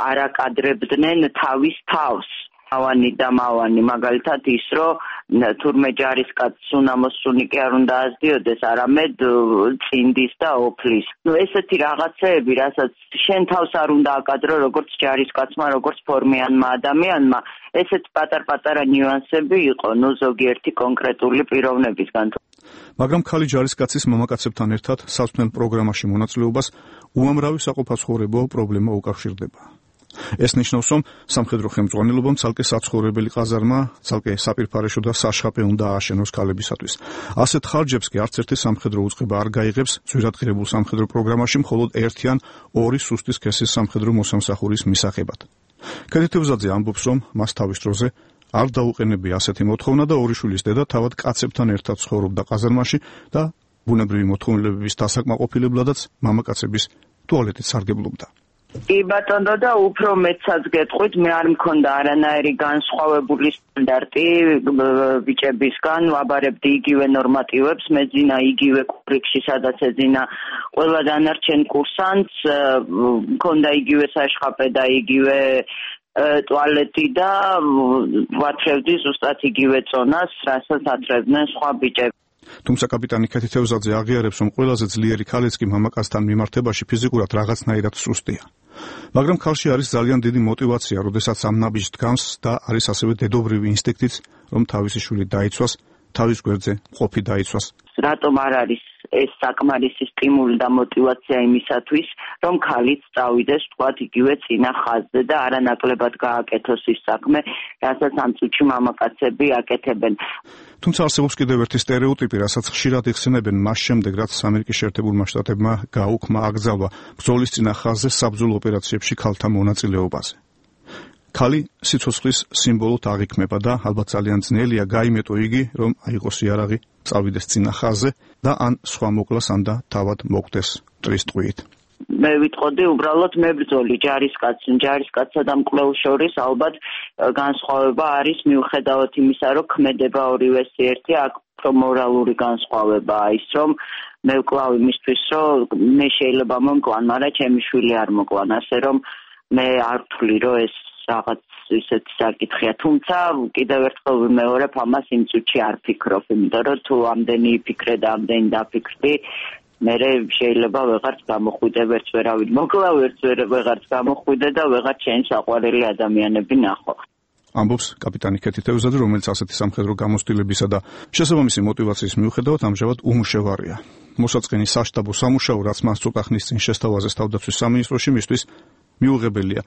არ აკადრებდნენ თავის თავს. ავანი და მავანი, მაგალითად ის, რომ თურმე ჯარისკაცს უნამოსუნი კი არ უნდა ასდიოდეს, არამედ წინდის და ოფლის. ესეთი რაღაცეები, რასაც შენ თავს არ უნდა აკადრო, როგორც ჯარისკაცმა, როგორც ფორმიანმა ადამიანმა, ესეთ პატარ-პატარა ნიუანსები იყო, ზოგიერთი კონკრეტული პიროვნებისგან. მაგრამ ქალი ჯარისკაცის მამაკაცებთან ერთად საცვლელ პროგრამაში მონაწილეობას უამრავი საყოფაცხოვრებო პრობლემა უკავშირდება. ეს ნიშნავს, რომ სამხედრო ხელმძღვანელობამ ცალკე საცხოვრებელი ყაზარმა, ცალკე საპირფარეშო და საშხაპე უნდა ააშენოს ქალებისათვის. ასეთ ხარჯებს კი არც ერთი სამხედრო უწყება არ გაიღებს ძვირადღირებულ სამხედრო პროგრამაში მხოლოდ ერთი ან ორი სუსტი სქესის სამხედრო მოსამსახურის მისაღებად. ქეთი თევზაძე ამბობს, რომ მას თავის დროზე არ დაუყენებია ასეთი მოთხოვნა და ორი შვილის დედა თავად კაცებთან ერთად ცხოვრობდა ყაზარმაში და ბუნებრივი მოთხოვნილებების დასაკმაყოფილებლადაც მამაკაცების ტუალეტით სარგებლობდა. კი ბატონო და უფრო მეცაც გეტყვით, მე არ მქონდა არანაირი განსხვავებული სტანდარტი ბიჭებისგან, ვაბარებდი იგივე ნორმატივებს, მეძინა იგივე კურსში, სადაც ეძინა ყველა დანარჩენ კურსანტს, მქონდა იგივე საშხაპე და იგივე ტუალეტი და ვათრევდი ზუსტად იგივე წონას, რასაც ათრევდნენ სხვა ბიჭები. თუმცა კაპიტანი ქეთი თევზაძე აღიარებს, რომ ყველაზე ძლიერი ქალიც კი მამაკაცთან მიმართებაში ფიზიკურად რაღაცნაირად სუსტია. მაგრამ ქალში არის ძალიან დიდი мотиваცია, როდესაც ამ ნაბიჯს დგამს და არის ასევე დედობრივი ინსტინქტიც, რომ თავისი შვილი დაიცვას, თავის გვერდზე მყოფი დაიცვას. რატომ არ არის ეს საკმარისი სტიმული და мотиваცია იმისათვის, რომ ქალიც წავიდეს თქვათ იგივე წინა ხაზზე და არანაკლებად გააკეთოს ის საქმე, რასაც ამ წუთში მამაკაცები აკეთებენ. თუმცა არსებობს კიდევ ერთი სტერეოტიპი, რასაც ხშირად იხსენებენ მას შემდეგ, რაც ამერიკის შეერთებულმა შტატებმა გააუქმა აკრძალვა ბრძოლის წინა ხაზზე საბრძოლო ოპერაციებში ქალთა მონაწილეობაზე. ქალი სიცოცხლის სიმბოლოდ აღიქმება და ალბათ ძალიან ძნელია გაიმეტო იგი, რომ აიღოს იარაღი, წავიდეს წინა ხაზზე და ან სხვა მოკლას, ან და თავად მოკვდეს მტრის ტყვიით. მე ვიტყოდი უბრალოდ მებრძოლი ჯარისკაცსა და მკვლელს შორის ალბათ განსხვავება არის მიუხედავად იმისა, რომ ქმედება ორივეს ერთი, აქ მორალური განსხვავებაა ის, რომ მე ვკლავ იმისთვის, რომ მე შეიძლება მომკლან, მაგრამ ჩემი შვილი არ მოკლან, ასე რომ მე არ ვთვლი, რომ ეს რაღაც ისეთი საკითხია. თუმცა კიდევ ერთხელ ვიმეორებ, ამას იმ წუთში არ ფიქრობ, იმიტომ რომ თუ ამდენი ფიქრე და ამდენი დაფიქრდი, მერე შეიძლება ვეღარც გამოხვიდე, ვერც ვერავინ მოკლა, ვერც ვეღარც გამოხვიდე და ვეღარ ჩემს საყვარელი ადამიანები ნახო. ამბობს კაპიტანი ქეთი თევზაძე, რომელიც ასეთი სამხედრო გამოცდილებისა და შესაბამისი мотиваციის მიუხედავად ამჟამად უმუშევარია. მოსაწყენი საშტაბო სამუშაო, რაც მას ცოტა ხნის წინ შესთავაზეს თავდაცვის სამინისტროში, მისთვის მიუღებელია.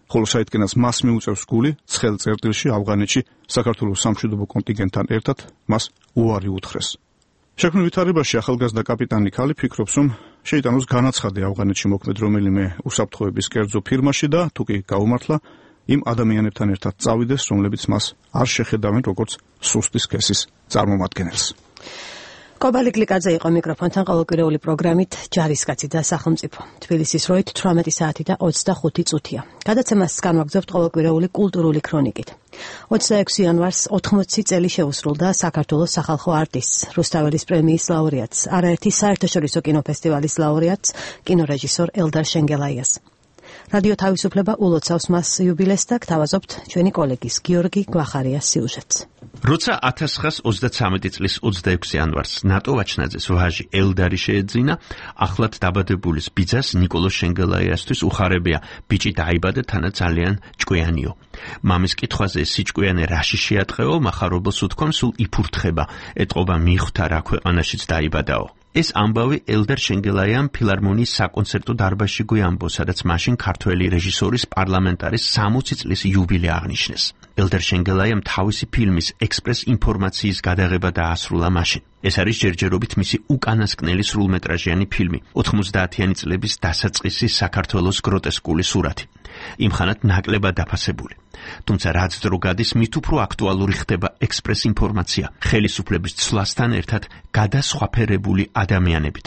ხოლო საიდკენაც მას მიუწევს გული, ცხელ წერტილში ავღანეთში საქართველოს სამშვიდობო კონტინგენტთან ერთად მას უარი უთხრეს. შექმნილ ვითარებაში ახალგაზრდა კაპიტანი ქალი ფიქრობს, რომ შეიტანოს განაცხადი ავღანეთში მოქმედ რომელიმე უსაფრთხოების კერძო ფირმაში და თუ კი გაუმართლა, იმ ადამიანებთან ერთად წავიდეს, რომლებიც მას არ შეხედავენ როგორც სუსტის სქესის წარმომადგენელს. კობალი გლიკაძე იყო მიკროფონთან ყოველკვირეული პროგრამით ჯარისკაცი და სახელმწიფო. თბილისის როით 18 საათი და 25 წუთია. გადაცემას განვაგრძობთ ყოველკვირეული კულტურული ქრონიკით. 26 იანვარს 80 წელი შეუსრულდა საქართველოს სახალხო არტისტს, რუსთაველის პრემიის ლაურეატს, არაერთი საერთაშორისო კინოფესტივალის ლაურეატს, კინორეჟისორ ელდარ შენგელაიას. რადიო თავისუფლება ულოცავს მას იუბილეს და გთავაზობთ ჩვენი კოლეგის გიორგი გვახარიას სიუჟეტს. როცა 1933 წლის 26 იანვარს ნატო ვაჩნაძეს ვაჟი ელდარი შეეძინა, ახლად დაბადებულის ბიძას ნიკოლოზ შენგელაიასთვის უხარებია, ბიჭი დაიბადა თანაც ძალიან ჭკვიანიო. მამის კითხვაზე სიჭკვიანე რაში შეატყეო, მახარობელს უთქვამ სულ იფურთხება, ეტყობა მიხვდა რა ქვეყანაშიც დაიბადაო. ეს ამბავი ელდარ შენგელაიამ ფილარმონიის საკონცერტო დარბაზში გვიამბო, სადაც მაშინ ქართველი რეჟისორის პარლამენტარის 60 წლის იუბილე აღნიშნეს. ელდარ შენგელაიამ თავისი ფილმის ექსპრეს ინფორმაციის გადაღება დაასრულა მაშინ. ეს არის ჯერჯერობით მისი უკანასკნელი სრულმეტრაჟიანი ფილმი, 90-იანი წლების დასაწყისი საქართველოს გროტესკული სურათი. იმხანად ნაკლებად დაფასებული. თუმცა რაც დრო გადის, მით უფრო აქტუალური ხდება ექსპრეს ინფორმაცია, ხელისუფლების ცვლასთან ერთად გადასხვაფერებული ადამიანებით,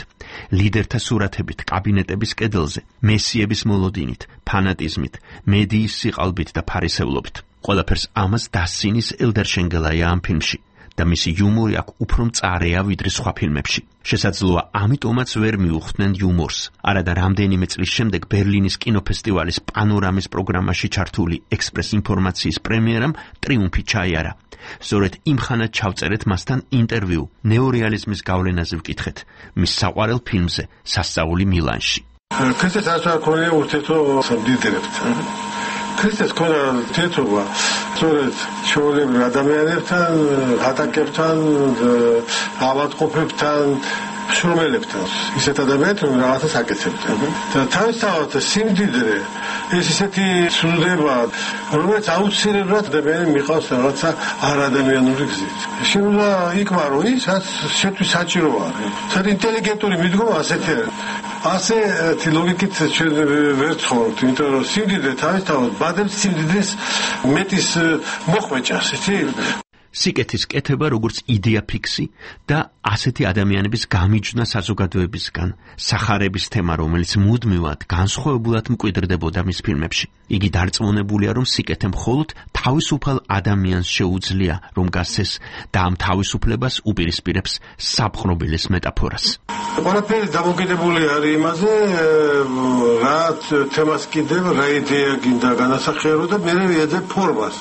ლიდერთა სურათებით, კაბინეტების კედელზე, მესიების მოლოდინით, ფანატიზმით, მედიის სიყალბით და ფარისევლობით. ყველაფერს ამას დასცინის ელდარ შენგელაია ამ ფილმში. და მისი იუმორი აქ უფრო მწარეა ვიდრე სხვა ფილმებში. შესაძლოა ამიტომაც ვერ მიუხვდნენ იუმორს. არადა რამდენიმე წლის შემდეგ ბერლინის კინოფესტივალის პანორამის პროგრამაში ჩართული ექსპრეს ინფორმაციის პრემიერამ ტრიუმფი ჩაიარა. სწორედ იმხანად ჩავწერეთ მასთან ინტერვიუ ნეორეალიზმის გავლენაზე ვკითხეთ მის საყვარელ ფილმზე სასწაული მილანში. ქრისტეს არ ქონია ურთიერთობა დიდებთან. ქრისტეს ქონა თეთრობა სწორედ ჩვეულებრივ ადამიანებთან, ატაკებთან, ავადმყოფებთან, შრომელებთან. ისეთ ადამიანებთან რაღაცას აკეთებდნენ. და თავისთავად სიმდიდრე ეს ისეთი ცნდება, რომელიც აუცილებლად ადამიანი მიყავს რაღაცა არადამიანური გზით. შეიძლება იკმარო ის, რაც შეთვის საჭიროა. საერთოდ ინტელიგენტური მიდგომა ასეთი არის. ასეთი ლოგიკით ჩვენ ვერ ცხოვრობთ, იმიტომ რომ სიმდიდრე თავისთავად ბადებს სიმდიდრის მეტის მოხვეჭას, იცი? სიკეთის კეთება როგორც იდეა ფიქსი და ასეთი ადამიანების გამიჯვნა საზოგადოებისგან, სახარების თემა, რომელიც მუდმივად განსხვავებულად მკვიდრდებოდა მის ფილმებში. იგი დარწმუნებულია, რომ სიკეთე მხოლოდ თავისუფალ ადამიანს შეუძლია, რომ გასცეს და ამ თავისუფლებას უპირისპირებს საპყრობილის მეტაფორას. ყველაფერი დამოკიდებული არის იმაზე, რა თემას კიდევ, რა იდეა გინდა განასახიერო და მე ვიძებ ფორმას.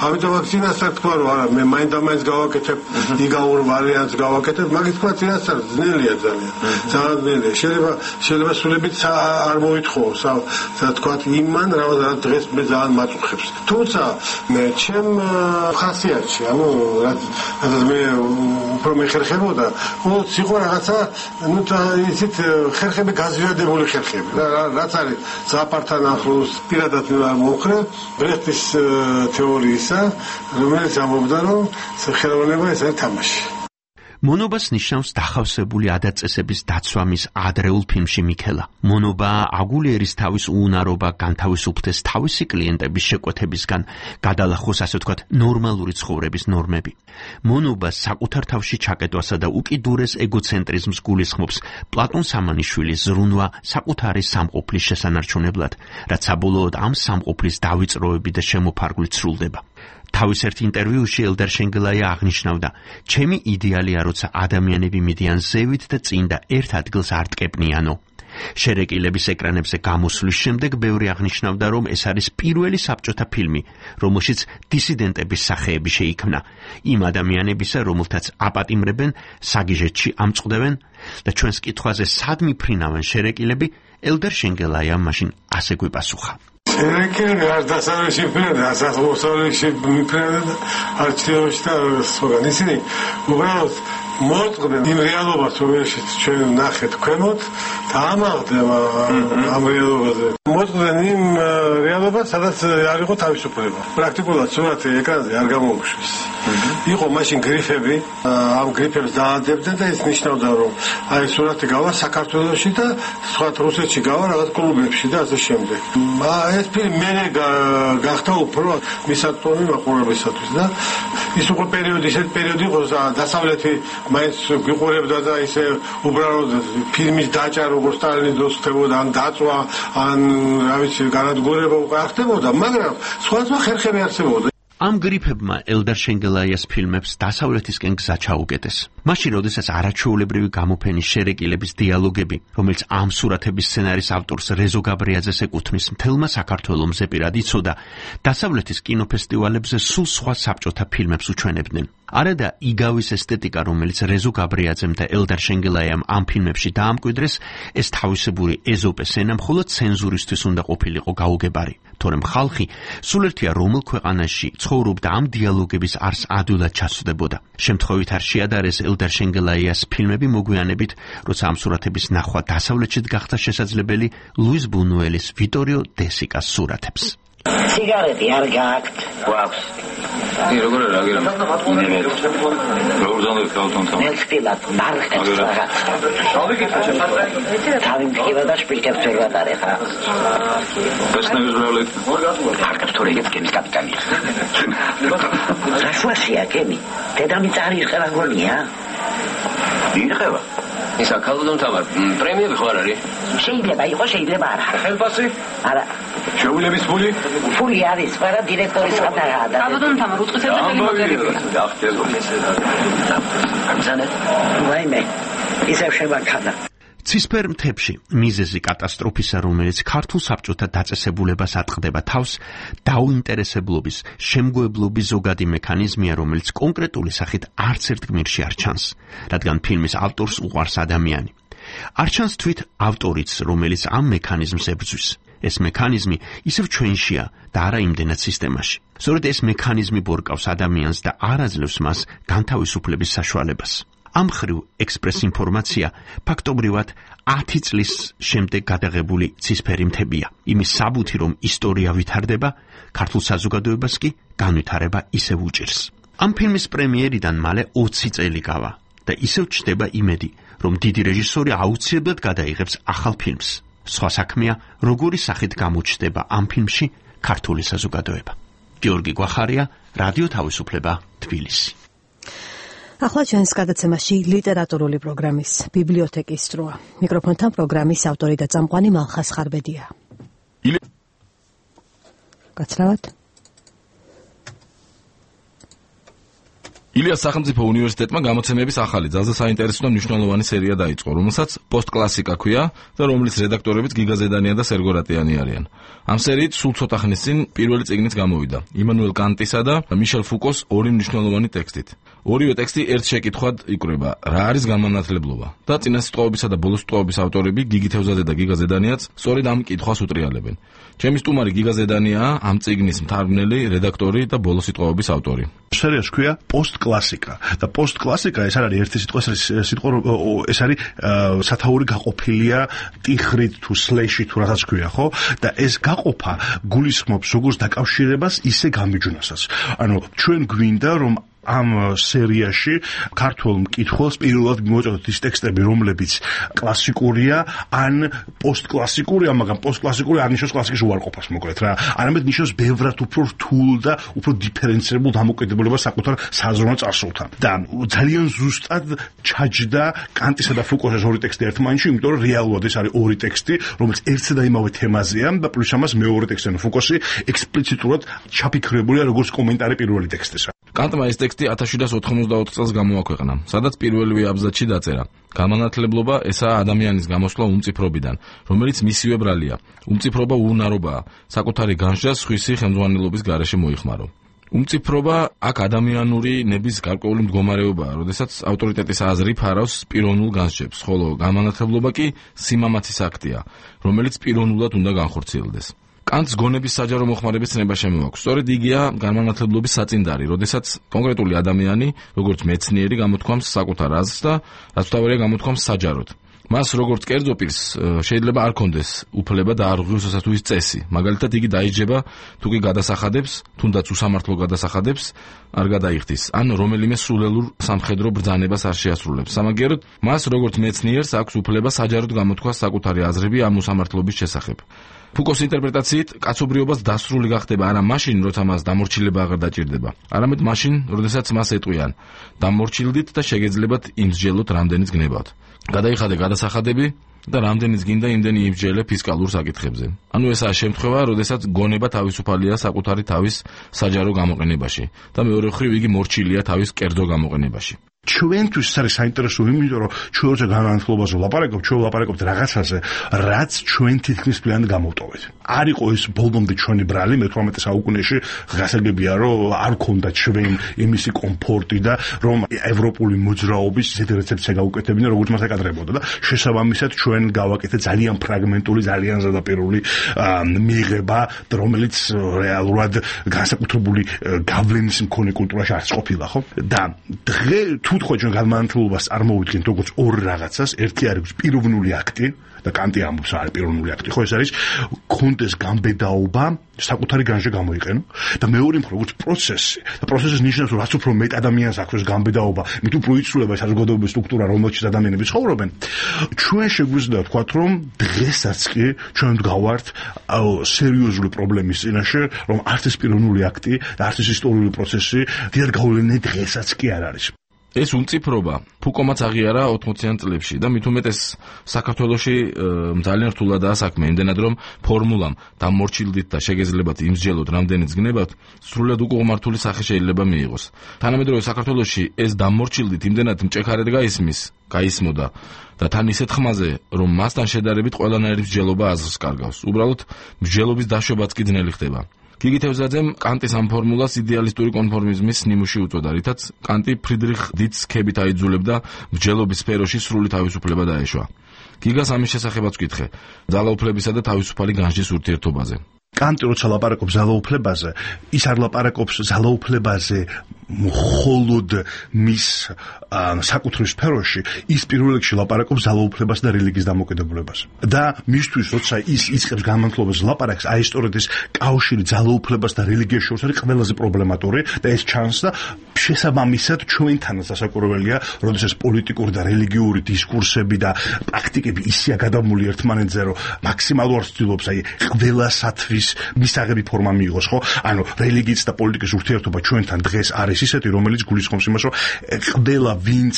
ამიტომ აქ წინასწარ თქვა, რომ არა, მე მაინდა-მაინც გავაკეთებ იგაურ ვარიანტს გავაკეთებ, მაგის თქვა წინასწარ ძნელია ძალიან. ძალიან ძნელია. შეიძლება სულებით არ მოითხოვოს, თქვა იმან რა დღეს მე ძალიან მაწუხებს. თუმცა ჩემ ხასიათში, ანუ რაც მე უფრო მეხერხებოდა, უბრალოდ იყო რაღაცა, ну ისეთ ხერხები გაზვიადებული ხერხები. რაც არის ზაპართან ახლოს პირადად მომხრე ბრეხტის თეორიისა, რომელიც ამბობდა, რომ ხელოვნება ეს არის თამაში. მონობას ნიშნავს დახავსებული ადაწესების დაცვა მის ადრეულ ფილმში მიქელა. მონობა აგულიერის თავის უუნარობა განთავისუფლდეს თავისი კლიენტების შეკვეთებისგან, გადალახოს ასე ვთქვათ ნორმალური ცხოვრების ნორმები. მონობა საკუთარ თავში ჩაკეტვასა და უკიდურეს ეგოცენტრიზმს გულისხმობს პლატონ სამანიშვილის ზრუნვა საკუთარი სამყოფლის შესანარჩუნებლად, რაც საბოლოოდ ამ სამყოფლის დავიწყროები და შემოფარგვლით სრულდება. თავის ერთ ინტერვიუში ელდარ შენგელაია აღნიშნავდა: ჩემი იდეალია, როცა ადამიანები მიდიან ზევით და წინ და ერთ ადგილს არ ტკეპნიანო. შერეკილების ეკრანებზე გამოსვლის შემდეგ ბევრი აღნიშნავდა, რომ ეს არის პირველი საბჭოთა ფილმი, რომელშიც დისიდენტების სახეები შეიქმნა, იმ ადამიანებისა, რომელთაც აპატიმრებენ, საგიჟეთში ამწყდებენ და ჩვენს კითხვაზე სად მიფრინავენ შერეკილები, ელდარ შენგელაიამ მაშინ ასე გვიპასუხა. შერეკილები არ დასავლეთში მიფრინავენ, დასავლეთში მიფრინავენ და არჩევნებში და სხვაგან ისინი უბრალოდ მოწყდნენ იმ რეალობას, რომელშიც ჩვენ ნახეთ ქვემოთ და ამაღლდება ამ რეალობაზე. მოწყდნენ იმ რეალობას, სადაც არ იყო თავისუფლება. პრაქტიკულად სურათი ეკრანზე არ გამოუშვეს. იყო მაშინ გრიფები, ამ გრიფებს დაადებდნენ და ეს ნიშნავდა, რომ აი სურათი გავა საქართველოში და სხვა რუსეთში გავა რაღაც კლუბებში და ასე შემდეგ. ეს ფილმი მე გახდა უფრო მისაწვდომი მაყურებელისათვის და ის უკვე პერიოდი იყო დასავლეთი მაინც გიყურებდა და ისე უბრალოდ ფილმის დაჭა როგორც სტალინის დროს ხდებოდა, ან დაწვა, ან რა ვიცი, განადგურება უკვე არ ხდებოდა, მაგრამ სხვა ხერხები არსებობდა. ამ გრიფებმა ელდარ შენგელაიას ფილმებს დასავლეთისკენ გზა ჩაუკეტეს. მაშინ, როდესაც არაჩვეულებრივი გამოფენის შერეკილების დიალოგები, რომელიც ამ სურათების სცენარის ავტორს რეზო გაბრიაძეს ეკუთვნის, მთელმა საქართველოს პირად იცოდა, დასავლეთის კინოფესტივალებზე სულ სხვა საბჭოთა ფილმებს უჩვენებდნენ. არადა იგავის ესთეტიკა, რომელიც რეზო გაბრიაძემ და ელდარ შენგელაიამ ამ ფილმებში დაამკვიდრეს, ეს თავისებური ეზოპეს ენა მხოლოდ ცენზურისთვის უნდა ყოფილიყო გაუგებარი. თორემ ხალხი სულ ერთია რომელ ქვეყანაში ცხოვრობდა ამ დიალოგების არს ადვილად ჩასვდებოდა. შემთხვევით არ შეადარეს ელდარ შენგელაიას ფილმები მოგვიანებით, როცა ამ სურათების ნახვა დასავლეთშიც გახდა შესაძლებელი ლუის ბუნუელის ვიტორიო დესიკას სურათებს. სიგარეტი არ გააქვთ? გვაქვს. როგორ არა გერა? როგორ ზონდეთ გავთონთ? მეცდილად მარხებს რაღაც. თავი მткиვა და შპილკებს ვერ ვატარე ხა. ბესნევის ბრალეთ. მარკებს თორე გეტკენის კაპიტანი. რაშუაშია გემი? დედამიწა არ იხება გონია? იხება. ისა ქალდონ თამარ პრემიები ხო არ არის? შეიძლება იყოს, შეიძლება არა. ხელფასი? არა. შეულების ფული? ფული არის, მაგრამ დირექტორის ხატაა და ქალდონ თამარ უწყისებს და მოგერება. ამზანეთ. ვაიმე. ისევ შევაქადა. ცისფერ მთებში მიზეზი კატასტროფისა, რომელიც ქართულ საბჭოთა დაწესებულებას ატყდება თავს, დაუინტერესებლობის, შემგოებლობის ზოგადი მექანიზმია, რომელიც კონკრეტული სახით არც ერთ გმირში არ ჩანს, რადგან ფილმის ავტორს უყვარს ადამიანი. არ ჩანს თვით ავტორიც, რომელიც ამ მექანიზმს ებრძვის. ეს მექანიზმი ისევ ჩვენშია და არა იმდენად სისტემაში. სწორედ ეს მექანიზმი ბორკავს ადამიანს და არ აძლევს მას განთავისუფლების საშუალებას. ამ ხრივ ექსპრეს ინფორმაცია ფაქტობრივად 10 წლის შემდეგ გადაღებული ცისფერი მთებია. იმის საბუთი, რომ ისტორია ვითარდება, ქართულ საზოგადოებას კი განვითარება ისევ უჭირს. ამ ფილმის პრემიერიდან მალე 20 წელი გავა და ისევ ჩნდება იმედი, რომ დიდი რეჟისორი აუცილებლად გადაიღებს ახალ ფილმს. სხვა საქმეა, როგორი სახით გამოჩნდება ამ ფილმში ქართული საზოგადოება. გიორგი გვახარია, რადიო თავისუფლება, თბილისი. ახლა ჩვენს გადაცემაში ლიტერატურული პროგრამის ბიბლიოთეკის დროა. მიკროფონთან პროგრამის ავტორი და წამყვანი მალხას ხარბედია. გაცრავად. ილიას სახელმწიფო უნივერსიტეტმა გამოცემების ახალი ძალზე საინტერესო და მნიშვნელოვანი სერია დაიწყო, რომელსაც პოსტკლასიკა ქვია და რომლის რედაქტორებიც გიგა ზედანია და სერგო რატიანი არიან. ამ სერიით სულ ცოტა ხნის წინ პირველი წიგნიც გამოვიდა, იმანუელ კანტისა და მიშელ ფუკოს ორი მნიშვნელოვანი ტექსტით. ორივე ტექსტი ერთ შეკითხვად იკვრება, რა არის განმანათლებლობა და წინასიტყვაობისა და ბოლოსიტყვაობის ავტორები გიგი თევზაძე და გიგა ზედანიაც სწორედ ამ კითხვას უტრიალებენ. ჩემი სტუმარი გიგა ზედანია, ამ წიგნის მთარგმნელი, რედაქტორი და ბოლოსიტყვაობის ავტორი. სერიას ქვია პოსტკლასიკა და პოსტკლასიკა ეს არ არის ერთი სიტყვა, ეს არის სათაური გაყოფილია ტიხრით თუ სლეშით თუ რასაც ქვია, ხო? და ეს გაყოფა გულისხმობს როგორც დაკავშირებას, ისე გამიჯვნასაც. ანუ ჩვენ გვინდა რომ ამ სერიაში ქართულ მკითხველს პირველად მივაწოდოთ ის ტექსტები, რომლებიც კლასიკურია, ან პოსტკლასიკურია, მაგრამ პოსტკლასიკური არ ნიშნავს კლასიკის უარყოფას, მოკლედ რა. არამედ ნიშნავს ბევრად უფრო რთულ და უფრო დიფერენცირებულ დამოკიდებულებას საკუთარ საზრუნო წარსულთან. და ძალიან ზუსტად ჩაჯდა კანტისა და ფუკოს ეს ორი ტექსტი ერთმანეთში, იმიტომ რომ რეალურად ეს არის ორი ტექსტი, რომელიც ერთსა და იმავე თემაზეა და პლუს ამას მეორე ტექსტი, ფუკოსი ექსპლიციტურად ჩაფიქრებულია როგორც კომენტარი პირველი ტექსტისა. კანტმა ეს ტექსტი 1794 წელს გამოაქვეყნა, სადაც პირველივე აბზაცში დაწერა: გამანათლებლობა ესაა ადამიანის გამოსვლა უმწიფრობიდან, რომელიც მისივე ბრალია. უმწიფრობა უუნარობაა, საკუთარი განსჯა სხვისი ხელმძღვანელობის გარეშე მოიხმარო. უმწიფრობა აქ ადამიანური ნების გარკვეული მდგომარეობაა, როდესაც ავტორიტეტის აზრი ფარავს პიროვნულ განსჯებს, ხოლო გამანათლებლობა კი სიმამაცის აქტია, რომელიც პიროვნულად უნდა განხორციელდეს. კანტს გონების საჯარო მოხმარების ცნება შემოაქვს. სწორედ იგია განმანათლებლობის საწინდარი, როდესაც კონკრეტული ადამიანი, როგორც მეცნიერი, გამოთქვამს საკუთარ აზრს და რაც თავარია გამოთქვამს საჯაროდ. მას როგორც კერძო პირს შეიძლება არ კონდეს უფლება და არ ღირს სასათუის წესი. მაგალითად, იგი დაიჯება თუ კი გადასახადებს, თუნდაც უსამართლო გადასახადებს არ გადაიხდის, ან რომელიმე სულელურ სამხედრო ბრძანებას არ შეასრულებს. სამაგიეროდ, მას როგორც მეცნიერს აქვს უფლება საჯაროდ გამოთქვას საკუთარი აზრები ამ უსამართლობის შესახებ. ფუკოს ინტერპრეტაციით, კაცობრიობას დასრული გახდება არა მაშინ, როცა მას დამორჩილება აღარ დაჭირდება, არამედ მაშინ, როდესაც მას ეტყვიან: დამორჩილდით და შეგეძლებათ იმსჯელოთ რამდენიც გნებავთ. გადაიხადე გადასახადები და რამდენიც გინდა იმდენი იმსჯელე ფისკალურ საკითხებზე. ანუ ესაა შემთხვევა, როდესაც გონება თავისუფალია საკუთარი თავის საჯარო გამოყენებაში და მეორე მხრივ იგი მორჩილია თავის კერძო გამოყენებაში. ჩვენთვის ეს არის საინტერესო, იმიტომ რომ ჩვენ როცა განმანათლებლობაზე ვლაპარაკობთ, ჩვენ ვლაპარაკობთ რაღაცაზე, რაც ჩვენ თითქმის პირად გამოვტოვეთ. არ იყო ეს ბოლომდე ჩვენი ბრალი მე-18 საუკუნეში, გასაგებია, რომ არ ქონდა ჩვენ იმისი კომფორტი და რომ ევროპული მოძრაობის ისეთი რეცეპცია გაუკეთებინა, როგორც მას აკადრებოდა და შესაბამისად ჩვენ გავაკეთეთ ძალიან ფრაგმენტული, ძალიან ზედაპირული მიღება, რომელიც რეალურად განსაკუთრებული გავლენის მქონე კულტურაში არც ყოფილა, ხო? და დღე თუ თქვა ჩვენ განმანათლებლობას წარმოვიდგენთ როგორც ორ რაღაცას, ერთი არის პიროვნული აქტი და კანტი ამბობს არის პიროვნული აქტი, ხო ეს არის კონდეს გამბედაობა საკუთარი განსჯა გამოიყენო და მეორე მხრივ როგორც პროცესი და პროცესის ნიშნავს რომ რაც უფრო მეტ ადამიანს აქვს გამბედაობა, მით უფრო იცვლება საზოგადოების სტრუქტურა, რომელშიც ადამიანები ცხოვრობენ. ჩვენ შეგვიძლია ვთქვათ რომ დღესაც კი ჩვენ ვდგავართ სერიოზული პრობლემის წინაშე, რომ არც ეს პიროვნული აქტი და არც ეს ისტორიული პროცესი დიდად გავლენიანი დღესაც კი არ არის. ეს უმწიფრობა ფუკომაც აღიარა 80-იან წლებში და მით უმეტეს საქართველოში ძალიან რთულადაა საქმე, იმდენად რომ ფორმულამ დამორჩილდით და შეგეძლებათ იმსჯელოთ რამდენიც გნებავთ სრულად უკუღმართული სახე შეიძლება მიიღოს. თანამედროვე საქართველოში ეს დამორჩილდით იმდენად მჭექარედ გაისმოდა და თან ისეთ ხმაზე, რომ მასთან შედარებით ყველანაირი მსჯელობა აზრს კარგავს. უბრალოდ მსჯელობის დაშვებაც კი ძნელი ხდება. გიგი თევზაძემ კანტის ამ ფორმულას იდეალისტური კონფორმიზმის ნიმუში უწოდა, რითაც კანტი ფრიდრიხ დიტს ქებით აიძულებდა მსჯელობის სფეროში სრული თავისუფლება დაეშვა. გიგას ამის შესახებაც ვკითხე, ძალაუფლებისა და თავისუფალი განსჯის ურთიერთობაზე. კანტი როცა ლაპარაკობს ძალაუფლებაზე, ის არ ლაპარაკობს ძალაუფლებაზე მხოლოდ მის საკუთრივ სფეროში, ის პირველ რიგში ლაპარაკობს ძალაუფლებას და რელიგიის დამოკიდებულებას. და მისთვის როცა ის იწყებს განმანათლებლობას ლაპარაკს, აი სწორედ ეს კავშირი ძალაუფლებას და რელიგიას შორის არის ყველაზე პრობლემატური და ეს ჩანს და შესაბამისად ჩვენთანაც დასაკურველია, როდესაც პოლიტიკური და რელიგიური დისკურსები და პრაქტიკები ისეა გადამული ერთმანეთზე, რომ მაქსიმალურად ცდილობს აი ყველასათვის მისაღები ფორმა მიიღოს, ხო? ანუ რელიგიის და პოლიტიკის ურთიერთობა ჩვენთან დღეს არის ისეთი, რომელიც გულისხმობს იმას, რომ ყველა ვინც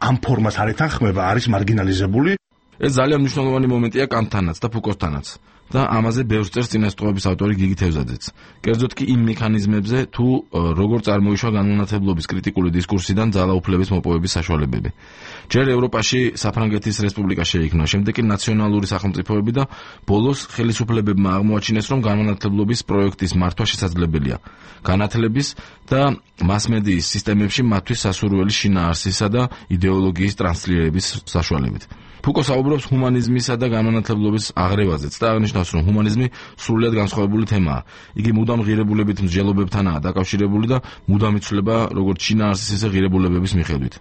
ამ ფორმას არ ეთანხმება, არის მარგინალიზებული. ეს ძალიან მნიშვნელოვანი მომენტია კანტთანაც და ფუკოსთანაც. და ამაზე ბევრს წერს წინასწრაფების ავტორი გიგი თევზაძეც. კერძოდ კი იმ მექანიზმებზე, თუ როგორ წარმოიშვა განმანათლებლობის კრიტიკული დისკურსიდან ძალაუფლების მოპოვების საშუალებები. ჯერ ევროპაში საფრანგეთის რესპუბლიკა შეიქმნა, შემდეგ კი ნაციონალური სახელმწიფოები და ბოლოს ხელისუფლებებმა აღმოაჩინეს, რომ განმანათლებლობის პროექტის მართვა შესაძლებელია განათლების და მასმედიის სისტემებში მათთვის სასურველი შინაარსისა და იდეოლოგიის ტრანსლირების საშუალებით. ფუკო საუბრობს ჰუმანიზმისა და განმანათლებლობის აღრევაზეც და აღნიშნავს, რომ ჰუმანიზმი სრულიად განსხვავებული თემაა. იგი მუდამ ღირებულებით მსჯელობებთანაა დაკავშირებული და მუდამ იცვლება როგორც შინაარსის, ისე ღირებულებების მიხედვით.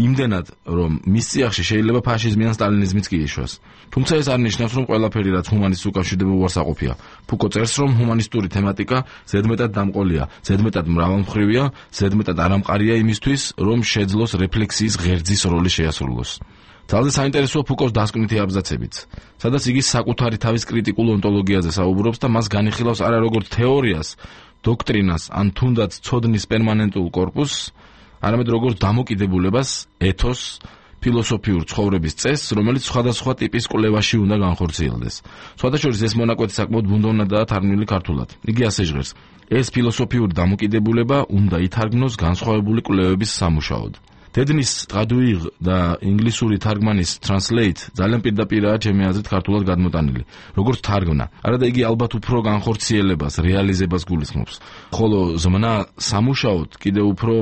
იმდენად, რომ მის წიაღში შეიძლება ფაშიზმი ან სტალინიზმიც კი ეშვას. თუმცა ეს არ ნიშნავს, რომ ყველაფერი, რაც ჰუმანიზმს უკავშირდება, უარსაყოფია. ფუკო წერს, რომ ჰუმანისტური თემატიკა ზედმეტად დამყოლია, ზედმეტად მრავალმხრივია, ზედმეტად არამყარია იმისთვის, რომ შეძლოს რეფლექსიის ღერძის როლი შეასრულოს. ძალზე საინტერესოა ფუკოს დასკვნითი აბზაცებიც, სადაც იგი საკუთარი თავის კრიტიკულ ონტოლოგიაზე საუბრობს და მას განიხილავს არა როგორც თეორიას, დოქტრინას ან თუნდაც ცოდნის პერმანენტულ კორპუსს, არამედ როგორც დამოკიდებულებას, ეთოსს, ფილოსოფიურ ცხოვრების წესს, რომელიც სხვადასხვა ტიპის კვლევაში უნდა განხორციელდეს. სხვადასხვა ეს მონაკვეთი საკმაოდ ბუნდოვნადაა თარგმნილი ქართულად. იგი ასე ჟღერს: ეს ფილოსოფიური დამოკიდებულება უნდა ითარგმნოს განსხვავებული კვლევების სამუშაოდ. დედნის ტრადუირ და ინგლისური თარგმანის translate ძალიან პირდაპირაა ჩემი აზრით ქართულად გადმოტანილი. როგორც თარგმნა, არადა იგი ალბათ უფრო განხორციელებას, რეალიზებას გულისხმობს. ხოლო ზმნა სამუშაოდ კიდევ უფრო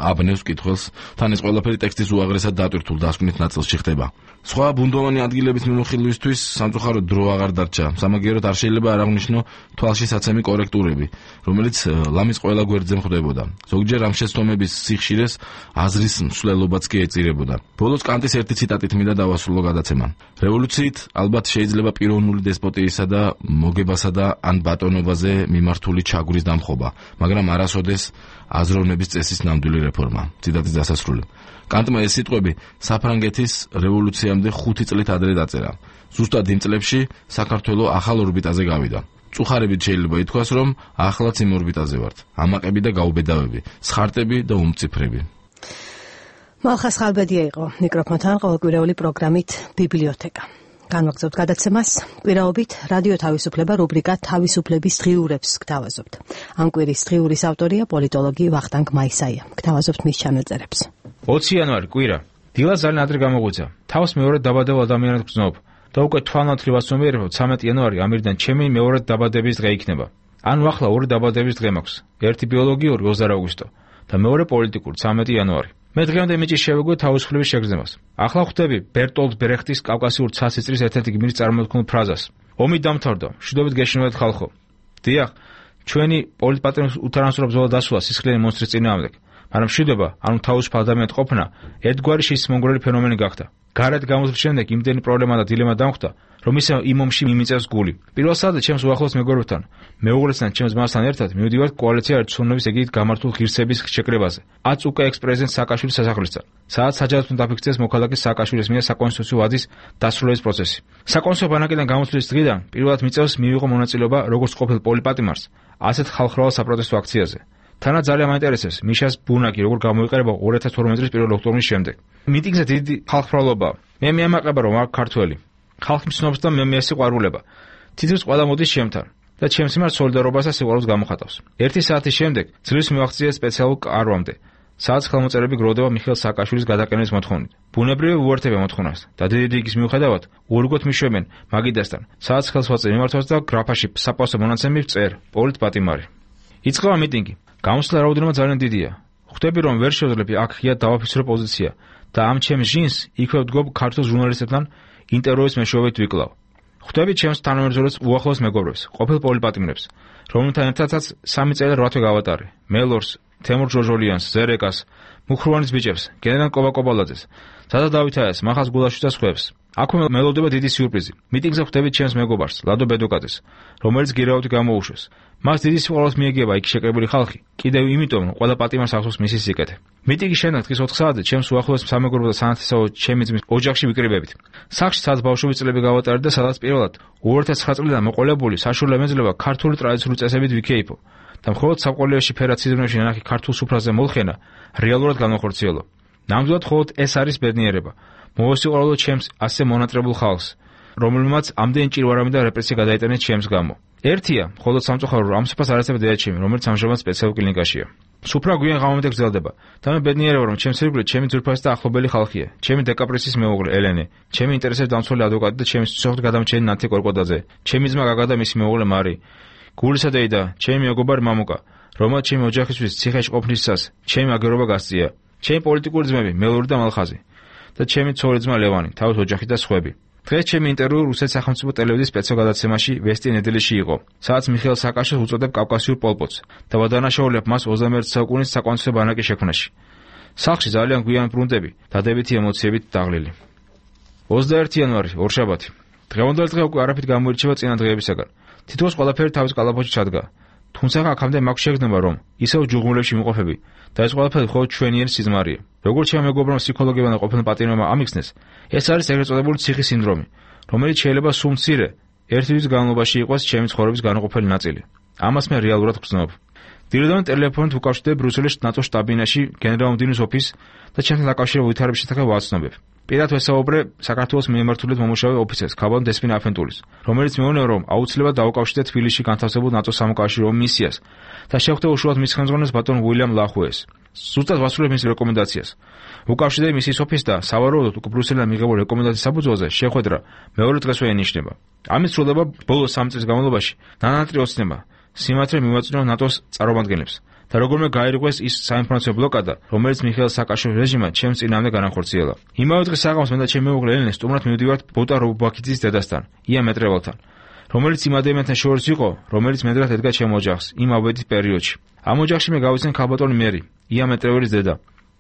აბნევს კითხვას, თან ეს ყველაფერი ტექსტის უაღრესად დატვირთულ დასკვნით ნაწილში ხდება. სხვა ბუნდოვანი ადგილების მიმოხილვისთვის სამწუხაროდ დრო აღარ დარჩა. სამაგიეროდ არ შეიძლება არ აღნიშნო თვალში საცემი კორექტურები, რომელიც ლამის ყველა გვერდზე მხდებოდა. ზოგჯერ ამ შეცდომების სიხშირეს აზრის მსვლელობაც კი ეწირებოდა. ბოლოს კანტის ერთი ციტატით მინდა დავასრულო გადაცემა. რევოლუციით ალბათ შეიძლება პიროვნული დესპოტიისა და მოგებასა და ან ბატონობაზე მიმართული ჩაგვრის დამხობა, მაგრამ არასოდეს აზროვნების წესის ნამდვილი რეფორმა. ციტატის დასასრული. კანტმა ეს სიტყვები საფრანგეთის რევოლუციამდე 5 წლით ადრე დაწერა. ზუსტად იმ წლებში საქართველო ახალ ორბიტაზე გავიდა. წუხარებით შეიძლება ითქვას, რომ ახლაც იმ ორბიტაზე ვართ. ამაყები და გაუბედავები, სხარტები და უმციფრები. მალხას ხალბედია იყო მიკროფონთან ყოველკვირეული პროგრამით ბიბლიოთეკა. განვაგრძობთ გადაცემას. კვირაობით რადიო თავისუფლება რუბრიკა თავისუფლების დღიურებს გთავაზობთ. ამ კვირის დღიურის ავტორია პოლიტოლოგი ვახტანგ მაისაია. გთავაზობთ მის ჩანაწერებს. 20 იანვარი კვირა. დილა ძალიან ადრე გამოგვიცა. თავს მეორე დაბადებულ ადამიანად გრძნობ და უკვე თვალნათლივ ასომიერებ 13 იანვარი ამირიდან ჩემი მეორე დაბადების დღე იქნება. ანუ ახლა ორი დაბადების დღე მაქვს. ერთი ბიოლოგიური 20 აგვისტო და მეორე პოლიტიკური 13 იანვარი. მე დღემდე მიჭის შევეგვე თავისუფლების შეგრძნებას. ახლა ხვდები ბერტოლდ ბრეხტის კავკასიურ ცასიწრის ერთ-ერთი გმირის წარმოთქმულ ფრაზას. ომი დამთავრდა, მშვიდობით გეშინოდეთ ხალხო. დიახ, ჩვენი პოლიტპატრონის უთანასწორო ბრძოლა დასრულა სისხლიანი მონსტრის წინააღმდეგ, მაგრამ მშვიდობა, ანუ თავისუფალ ადამიანად ყოფნა, ერთგვარი შისმონგრელი ფენომენი გახდა. გარეთ გამოსვლის შემდეგ იმდენი პრობლემა და დილემა დამხვდა, რომ ისე იმ ომში მიმიწევს გული. პირველ საათზე ჩემს უახლოს მეგობრებთან, მეუღლესთან, ჩემს ძმასთან ერთად მივდივართ კოალიცია ერთწლოვნების ეგით გამართულ ღირსების შეკრებაზე. 10 უკვე ექს-პრეზიდენტ სააკაშვილის სასახლესთან, სადაც საჯარისთან დაფიქსირეს მოქალაქე სააკაშვილის მიერ საკონსტიტუციო ვადის დასრულების პროცესი. საკონსტიტუციო ბანაკიდან გამოსვლის დღიდან პირველად მიწევს მიიღო მონაწილეობა როგორც ყოფილ პოლიტპატიმარს, ასეთ ხალხმრავალ საპროტესტო აქციაზე. თანაც ძალიან მაინტერესებს მიშას ბუნაკი როგორ გამოიყურება 2012 წლის 1 ოქტომბრის შემდეგ. მიტინგზე დიდი ხალხმრავლობაა. მე მიამაყება რომ აქ ქართველი. ხალხი მცნობს და მე სიყვარულება. თითქოს ყველა მოდის ჩემთან და ჩემს მიმართ სოლიდარობას და სიყვარულს გამოხატავს. 1 საათის შემდეგ ძლივს მივახციე სპეციალურ კარვამდე, სადაც ხელმოწერები გროვდება მიხეილ სააკაშვილის გადაყენების მოთხოვნით. ბუნებრივი უერთდება მოთხოვნას და დიდი რიგის მიუხედავად უერგოთ მიშვებენ მაგიდასთან, სადაც ხელს ვაწერ მიმართვას და გრაფაში საპასო მონაცემი ვწერ პოლიტპატიმარი. იწყება მიტინგი. გამოსვლა რაოდენობა ძალიან დიდია. ხვდები რომ ვერ შევძლები აქ ღია დავაფიქსირო პოზიცია და ამ ჩემს ჟინს იქვე ვდგობ ქართულ ჟურნალისტებთან ინტერვიუის მეშვეობით ვიკლავ. ხვდები ჩემს თანამებრძოლებს უახლოს მეგობრებს, ყოფილ პოლიტპატიმრებს, რომელთა ერთადაც 3 წელი 8 თვე გავატარე. მელორს, თემურ ჟოჟოლიანს, ზერეკას, მუხროვანის ბიჭებს, გენერალ კობაკობალაძეს, ზადა დავითაიას, მახას გულაშვილს და სხვებს. აქვე მელოდება დიდი სიურპრიზი. მიტინგზე ხვდებით ჩემს მეგობარს, ლადო ბედოკაძეს, რომელიც გირაოთი გამოუშვეს. მას დიდი სიყვარულს მიეგება იქ შეკრებილი ხალხი, კიდევ იმიტომ, რომ ყველა პატიმარს ახსოვს მისი სიკეთე. მიტინგის შემდეგ დღის 4 საათზე ჩემს უახლოეს სამეგობრო და სანათესაო ჩემი ძმის ოჯახში ვიკრიბებით. სახლში სადაც ბავშვობის წლები გავატარეთ და სადაც პირველად 2009 წლიდან მოყოლებული საშუალო ემეძლება ქართული ტრადიციული წესებით ვიქეიფო და მხოლოდ საყოველეში ფერაციზმებში ნანახი ქართულ სუფრაზე მოლხენა რეალურად განახორციელო. ნამდვილად მხოლოდ ეს არის ბედნიერება. მოვესიყვარულო ჩემს ასე მონატრებულ ხალხს, რომელმაც ამდენი ჭირვარამი და რეპრესია გადაიტანეს ჩემს გამო. ერთია, მხოლოდ სამწუხარო რომ ამ სუფრას არ ეცემა დედაჩემი, რომელიც ამჟამად სპეციალურ კლინიკაშია. სუფრა გვიან ღამემდე გრძელდება და მე ბედნიერება რომ ჩემს ირგვლივ ჩემი ძვირფასი და ახლობელი ხალხია, ჩემი დეკაპრესის მეუღლე ელენე, ჩემი ინტერესებს დამცველი ადვოკატი და ჩემი სიცოცხლე გადამჭერი ნათი კორკოდაძე, ჩემი ძმა გაგა და მისი მეუღლე მარი, გულისა დეიდა, ჩემი მეგობარი მამუკა, რომელმაც ჩემი ოჯახისთვის ციხეში ყოფნისას ჩემი აგერობა გასწია, ჩემი პოლიტიკური ძმები მელური და მალხაზი და ჩემი ცოლი ძმა ლევანი, თავის ოჯახი და სხვები. დღეს ჩემი ინტერვიუ რუსეთის სახელმწიფო ტელევიზიის სპეციალურ გადაცემაში ვესტი ნედელიში იყო, სადაც მიხეილ სააკაშვილს უწოდებ კავკასიურ პოლპოტს და ვადანაშაულებ მას 21 საუკუნის საკონსტიტუციო ბანაკის შექმნაში. სახლში ძალიან გვიან ბრუნდები, დადებითი ემოციებით დაღლილი. 21 იანვარი, ორშაბათი. დღევანდელი დღე უკვე არაფრით გამოირჩევა წინა დღეებისაგან. თითქოს ყველაფერი თავის კალაპოტში ჩადგა. თუმცა აქამდე მაქვს შეგრძნება რომ ისევ ჯუღმულებში ვიმყოფები და ეს ყველაფერი მხოლოდ ჩვენიერი სიზმარია. როგორც ჩემ მეგობრებმა ფსიქოლოგებმა და ყოფილ პატიმრებმა ამიხსნეს, ეს არის ეგრეთ წოდებული ციხის სინდრომი, რომელიც შეიძლება სულ მცირე ერთი თვის განმავლობაში იყოს ჩემი ცხოვრების განუყოფელი ნაწილი. ამას მე რეალურად გრძნობ. დილიდან ტელეფონით ვუკავშირდები ბრიუსელის ნატოს შტაბ-ბინაში გენერალ-მდივნის ოფისს და ჩემთან დაკავშირებულ ვითარების შესახებ ვაცნობებ. პირად ვესაუბრე საქართველოს მიმართულებით მომუშავე ოფიცერს ქაბან დესპინ აფენტულის, რომელიც მეუბნება, რომ აუცილებლად დაუკავშირდეთ თბილისში განთავსებულ ნატოს სამოქალაქო მისიას და შეხვდა უშუალოდ მის ხელმძღვანელს ბატონ უილიამ ლახვეეს. ზუსტად ვასრულებ მის რეკომენდაციას. უკავშირდება მისიის ოფისს და სავარაუდოდ უკვე ბრიუსელიდან მიღებულ რეკომენდაციის საფუძველზე შეხვედრა მეორე დღესვე ენიშნება. ამის სრულდება ბოლო 3 წლის განმავლობაში ნანატრი ოცნება სიმართლე მივაწვდინა ნატოს წარმომადგენლებს და როგორმე გაირღვეს ის საინფორმაციო ბლოკადა, რომელიც მიხეილ სააკაშვილის რეჟიმმა ჩემს წინააღმდეგ განახორციელა. იმავე დღეს საღამოს მე და ჩემი მეუღლე ელენე სტუმრად მივდივართ ბოტა რობაქიძის დედასთან, ია მეტრევალთან, რომელიც იმ ადამიანთან შორის იყო, რომელიც მედრად ედგა ჩემ ოჯახს იმ აბედის პერიოდში. ამ ოჯახში მე გავიცნე ქალბატონი მერი, ია მეტრევალის დედა,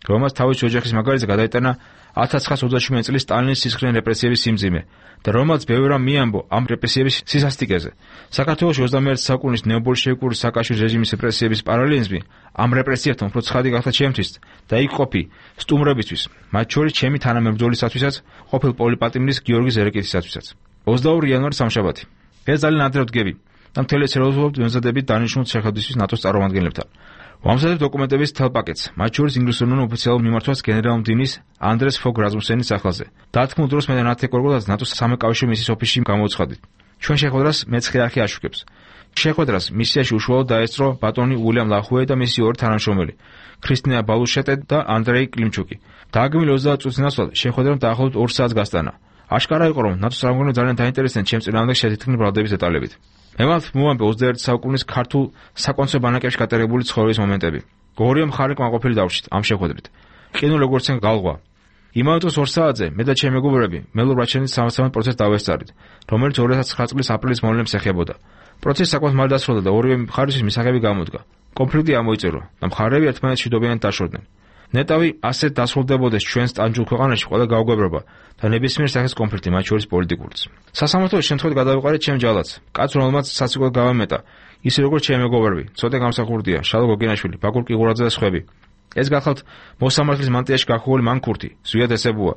რომელმაც თავისი ოჯახის მაგალითზე გადაიტანა 1927 წლის სტალინის სისხლიანი რეპრესიების სიმძიმე და რომელმაც ბევრი რამ მიამბო ამ რეპრესიების სისასტიკეზე. საქართველოში 21 საუკუნის ნეობოლშევიკური სააკაშვილის რეჟიმის რეპრესიების პარალელიზმი ამ რეპრესიებთან უფრო ცხადი გახდა ჩემთვის და იქ ყოფი სტუმრებისთვის, მათ შორის ჩემი თანამებრძოლისათვისაც, ყოფილ პოლიპატიმრის გიორგი ზერეკითისათვისაც. 22 იანვარი სამშაბათი. ეს ძალიან ადრე ვდგები და მთელი ცეროზულობთ ვემზადებით დანიშნულ შეხვედრისთვის ნატოს წარმომადგენლებთან. ვამზადებ დოკუმენტების მთელ პაკეტს, მათ შორის ინგლისურენოვან ოფიციალურ მიმართვას გენერალ-მდივნის ანდრეს ფოგ რაზმუსენის სახელზე. დათქმულ დროს მე და ნათე კორკოდაძე ნატოს სამოქალაქო მისიის ოფისში გამოვცხადით. ჩვენ შეხვედრას მეცხრე არხი აშუქებს. შეხვედრას მისიაში უშუალოდ დაესწრო ბატონი უილიამ ლახვეე და მისი ორი თანამშრომელი, ქრისტინა ბალუშეტე და ანდრეი კლიმჩუკი. დააგმილი 30 წუთის ნაცვლად შეხვედრამ დაახლოებით 2 საათს გასტანა. აშკარა იყო, რომ ნატოს წარმომადგენლები ძალიან დაინტერესდნენ ჩემს წინააღმდეგ შეთითქმის ბრალდების დეტალებით. მე მოვამბე 21 საუკუნის ქართულ საკონცერტო ბანაკებში გატარებული ცხოვრების მომენტები. ორივე მხარე კმაყოფილი დავშით ამ შეხვედრით. ყინულ როგორც են გალღვა. იმავე დროს 2 საათზე მე და ჩემი მეგობრები მელურ რაჩენის სამართლებრივ პროცესს დავესწარით, რომელიც 2009 წლის აპრილის მოვლენებს ეხებოდა. პროცესი საკმაოდ მალე დასრულდა და ორივე მხარისთვის მისაღები გამოდგა. კონფლიქტი ამოიწურა და მხარეები ერთმანეთს შედობიანად დაშორდნენ. ნეტავი ასეთ დასრულდებოდეს ჩვენს ტანჯულ ქვეყანაში ყველა გაუგებრობა და ნებისმიერ სახის კონფლიქტი, მათ შორის პოლიტიკურიც. სასამართლოში შემთხვევით გადავიყარეთ ჩემ ჯალათს, კაცს, რომელმაც საცეკვად გავამეტა, ისე როგორც ჩემი მეგობრები, ცოტა გამსახურდია, შალო გოგინაშვილი, ბაკურ კიღურაძე და სხვები. ეს გახლავთ მოსამართლის მანტიაში გახურული მანქურთი, ზვიად ესებუა,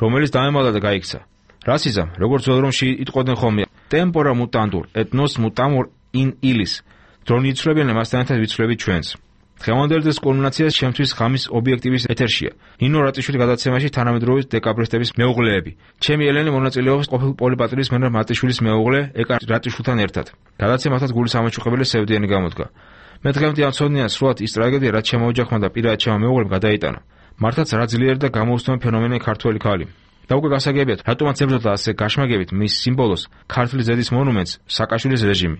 რომელიც დაემალდა და გაიქცა. რასიზამ, როგორც ველრომში იტყოდნენ ხოლმე, ტემპორა მუტანდურ, ეთნოს მუტამურ in ilis. დრონი იცვლებიან მასთან ერთად ვიცვლებით ჩვენს. დღევანდელი დღის კულმინაცია ჩემთვის ღამის ობიექტივის ეთერშია. ნინო რატიშვილი გადაცემაში თანამედროვე დეკაბრისტების მეუღლეები. ჩემი ელენე მონაწილეობს ყოფილ პოლიპატრის მენარ მარტიშვილის მეუღლე ეკა რატიშვილთან ერთად. გადაცემათაც გულის ამოჩუქებელი სევდიანი გამოდგა. მე დღემდე ამცოდნია სრულად ის ტრაგედია, რაც ჩემო ოჯახმა და პირად ჩემო მეუღლემ გადაიტანა. მართლაც რა ძლიერი და გამოუცნობი ფენომენია ქართველი ქალი. და უკვე გასაგებია, რატომაც ებრძოდა ასე გაშმაგებით მის სიმბოლოს ქართლის ზედის მონუმენტს სააკაშვილის რეჟიმი.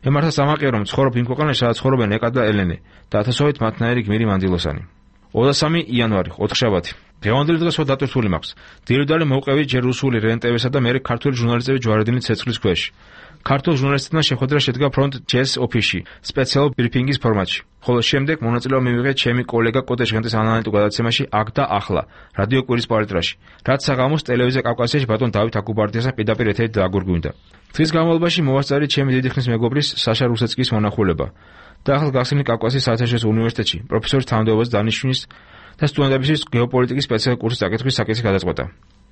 მე მართლაც ამაყია, რომ ცხოვრობ იმ ქვეყანაში, სადაც ცხოვრობენ ეკა და ელენე და ათასობით მათნაირი გმირი მანდილოსანი. 23 იანვარი, ოთხშაბათი. დღევანდელი დღეს დატვირთული მაქვს. დირიდალი მოვყევი ჯერ რუსული რენტებისა და მერე ქართული ჟურნალისტები ჯვარედინის ცეცხლის ქვეშ. ქართულ ჟურნალისტებთან შეხვედრა შედგა ფრონტ ჯეს ოფისში, სპეციალურ ბრიფინგის ფორმატში. ხოლო შემდეგ მონაწილეობა მივიღე ჩემი კოლეგა კოტე ჟღენტის ანალიტიკურ გადაცემაში აქ და ახლა, რადიო კვირის პალიტრაში. რაც საღამოს ტელევიზია კავკასიაში ბატონ დავით აკუბარდიასთან პირდაპირ ეთერით დააგვირგვინდა. დღის განმავლობაში მოვასწარი ჩემი დიდი ხნის მეგობრის საშა რუსეცკის მონახულება და ახალ გახსნილი კავკასიის საერთაშორისო უნივერსიტეტში პროფესორის თანამდებობაზე დანიშვნის და სტუდენტებისთვის გეოპოლიტიკის სპეციალური კურსის წაკითხვის საკითხი გადაწყვეტა.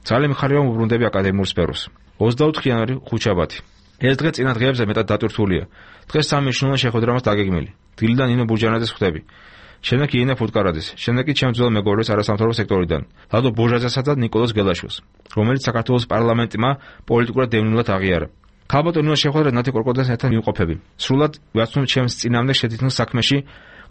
ძალიან მიხარია უბრუნდები აკადემიურ სფეროს. 24 იანვარი, ხუთშაბათი. ეს დღე წინა დღეებზე მეტად დატვირთულია. დღეს სამი მნიშვნელოვანი შეხვედრა მას დაგეგმილი. დილიდან ნინო ბურჯანაძეს ხვდები. შემდეგ იანა ფუტკარაძეს, შემდეგ კი ჩემს ძველ მეგობრებს არასამთავრობო სექტორიდან, ლადო ბოჟაძესა და ნიკოლოზ გელაშვილს, რომელიც საქართველოს პარლამენტმა პოლიტიკურად დევნილად აღიარა. ქალბატონი შეხვედრა ნათე კორკოდასთან ერთად მივყოფები. სრულად ვაცნობ ჩემს წინააღმდეგ შეთითქმის საქმეში,